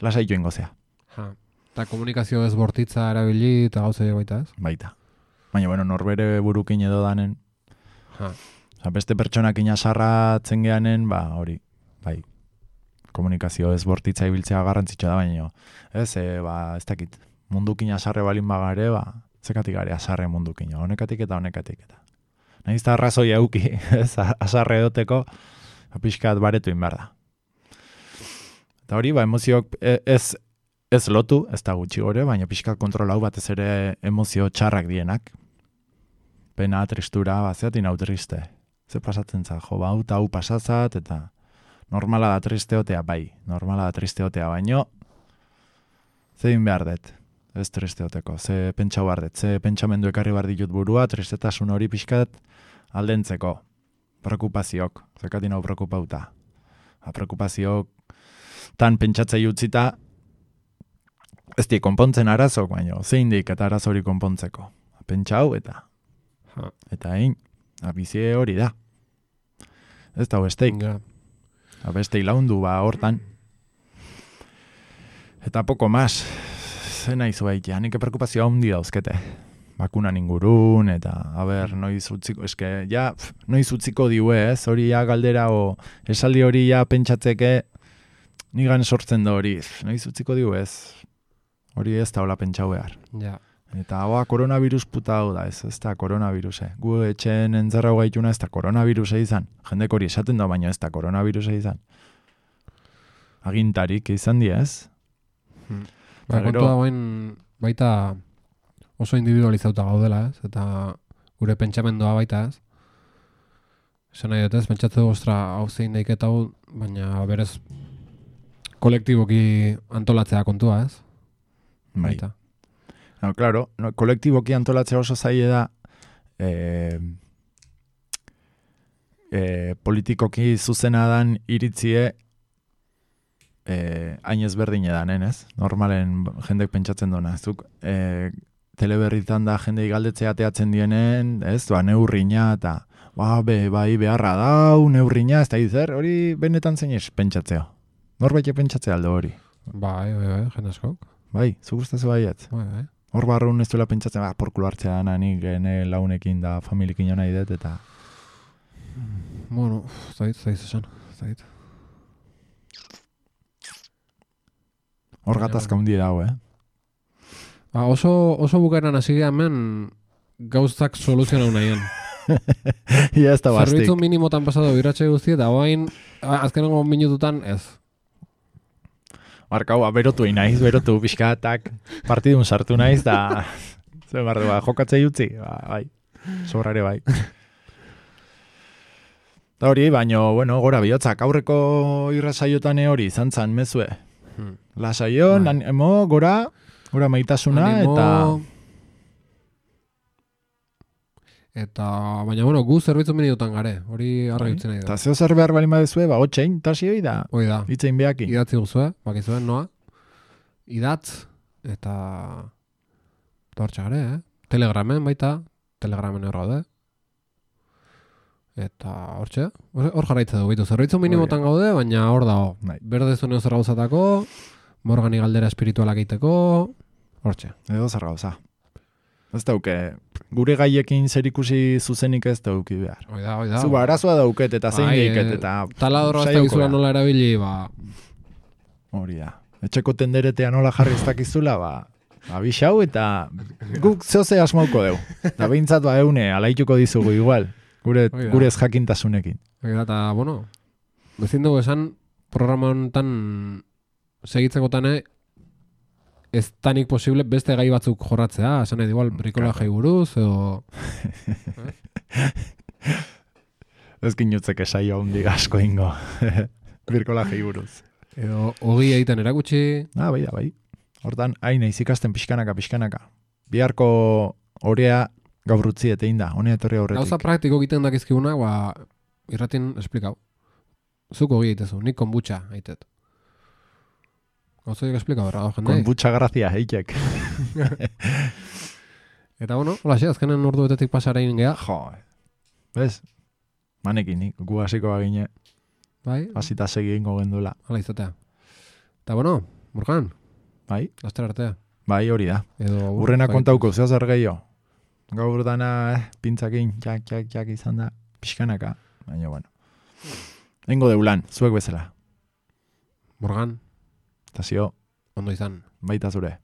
lasaitu ingozea. Ha. Eta komunikazio ez bortitza erabili eta gauza baita ez? Baita. Baina, bueno, norbere burukin edo danen. Ha. Osa, beste pertsonak inasarratzen geanen, ba, hori, bai, komunikazio ez bortitza ibiltzea garrantzitsua da, baina, ez, e, ba, ez dakit, mundukin asarre balin bagare, ba, zekatik gare asarre mundukin, honekatik eta honekatik eta. Nahiz da arrazoi euki, ez, asarre edoteko, pixkat baretu inbar da. Eta hori, ba, emoziok ez, ez lotu, ez da gutxi gore, baina pixkat kontrolau batez ere emozio txarrak dienak. Pena, tristura, ba, zeatin hau triste. Ze pasatzen za, jo, ba, hau hau pasatzat, eta normala da tristeotea, bai, normala da tristeotea, baino, ze din behar dut, ez tristeoteko, ze pentsau behar dut, ze pentsamendu ekarri behar ditut burua, tristetasun hori pixkat aldentzeko, preocupaziok, zekatin hau preocupauta. Ha, preocupaziok, tan pentsatzei utzita, ez di konpontzen arazok, baino, zein dik eta arazo hori konpontzeko. Pentsau eta Ha. Eta hain, abizie hori da. Ez da besteik. Ja. Besteik laundu ba hortan. Eta poko mas. Ze nahi zuaitea, nik preokupazioa handi dauzkete. Bakunan ingurun, eta, a ber, noiz utziko, eske, ja, pf, noiz utziko diue, ez, hori ja galdera, o, esaldi hori ja pentsatzeke, nigan sortzen da hori, noiz utziko diue, ez, hori ez da hola pentsau behar. Ja. Eta hoa, koronavirus puta hau da, ez, ez da koronaviruse. Gu etxen entzerra gaituna ez da koronaviruse izan. Jendek hori esaten da, baina ez da koronaviruse izan. Agintarik izan di, ez? Hmm. Ba, kontua guen baita oso individualizauta gaudela, ez? Eta gure pentsamendua baita, ez? Esan nahi dut ez, pentsatzeko, ostra, hau zein daik eta hau, baina berez kolektiboki antolatzea kontua, ez? Bai. Baita. No, claro, no, kolektiboki antolatzea oso zaile da eh, eh, politikoki zuzena dan iritzie eh, hain ezberdin edanen, ez? Normalen jendek pentsatzen duna. Zuk eh, teleberritan da jendei galdetzea teatzen dienen, ez? Ba, neurrina eta ba, be, bai beharra dau, neurrina, ez da izer, hori benetan zein ez pentsatzea. Norbait pentsatzea aldo hori. Bai, bai, bai, jende askok. Bai, zu gustazu baiet. Bai, bai. Hor barrun ez duela pentsatzen, ba, porkulo hartzea dana, nik gene launekin da familikin jo nahi dut, eta... Bueno, zait, zait esan, zait. Hor gatazka hundi dago, eh? Ba, oso, oso bukaeran hasi hemen gauzak soluzionau nahian. Ia ez da bastik. Zerbitzu minimotan pasado biratxe guzti, eta hoain, azkenengo minututan ez. Markau, berotu inaiz, berotu pixkatak, partidun sartu naiz, da zer barru, ba, jokatzei utzi, ba, bai, sobrare bai. Da hori, baino, bueno, gora bihotzak, aurreko irrasaiotan hori, izan zan mezue. Hmm. Lasaio, bai. Animo, gora, gora maitasuna, animo, eta... Eta, baina, bueno, gu zerbitzu minututan gare, hori arra jutzen nahi da. Eta zeo zer behar balima dezue, ba, otxein, tasi hoi da. Hoi da. Itzein behaki. Idatzi guzue, bakizuen, noa. Idatz, eta... Tortxa gare, eh? Telegramen baita, telegramen hor gaude. Eta hortxe, hor hor jarraitza dugu, bitu, zerbitzu minimotan gaude, baina hor dago. Bai. Berde zuneo zer gauzatako, Morgani galdera espiritualak egiteko, hortxe. Edo zer gauza. Ez dauke, gure gaiekin zer ikusi zuzenik ez dauki behar. Oida, oida. Zu arazoa dauket eta zein Bai, deiket eh, eta... taladro ez saioko dakizula da. nola erabili, ba... Hori da. Etxeko tenderetea nola jarri ez dakizula, ba... Abixau eta guk zehoze asmauko deu. Eta behintzat ba eune, alaituko dizugu igual. Gure, Oida. gure ez jakintasunekin. Eta, bueno, bezin dugu esan, programa honetan segitzekotan ez tanik posible beste gai batzuk jorratzea, esan nahi igual brikolajei buruz, edo... Ez ginutzek esaio handik asko ingo. Birkolajei buruz. Edo, hogi egiten erakutsi... Ah, bai da, bai. Hortan, hain naiz ikasten pixkanaka, pixkanaka. Biharko orea gaur utzi etein da, honea etorri aurretik. Gauza praktiko egiten dakizkigunak, ba, irratin esplikau. Zuk hogi egitezu, nik konbutxa egiteet. Gauza dik esplikau, erra, jendei. Konbutxa grazia, heitek. Eta, bueno, hola xe, azkenen ordu betetik pasarein geha. Jo, bez? Manekin, nik, gu hasiko bagine, Bai, hasita segi ingo gendula. hala izatea. Eta, bueno, Burkan, Bai? laster artea. Bai, hori da. Edo, Urrena bai, kontauko, zeo zer gehiago. Gaur dana, eh, pintzakin, jak, jak, jak izan da, pixkanaka. Baina, bueno. Engo deulan, zuek bezala. Morgan, Eta zio, ondo izan. baita zure.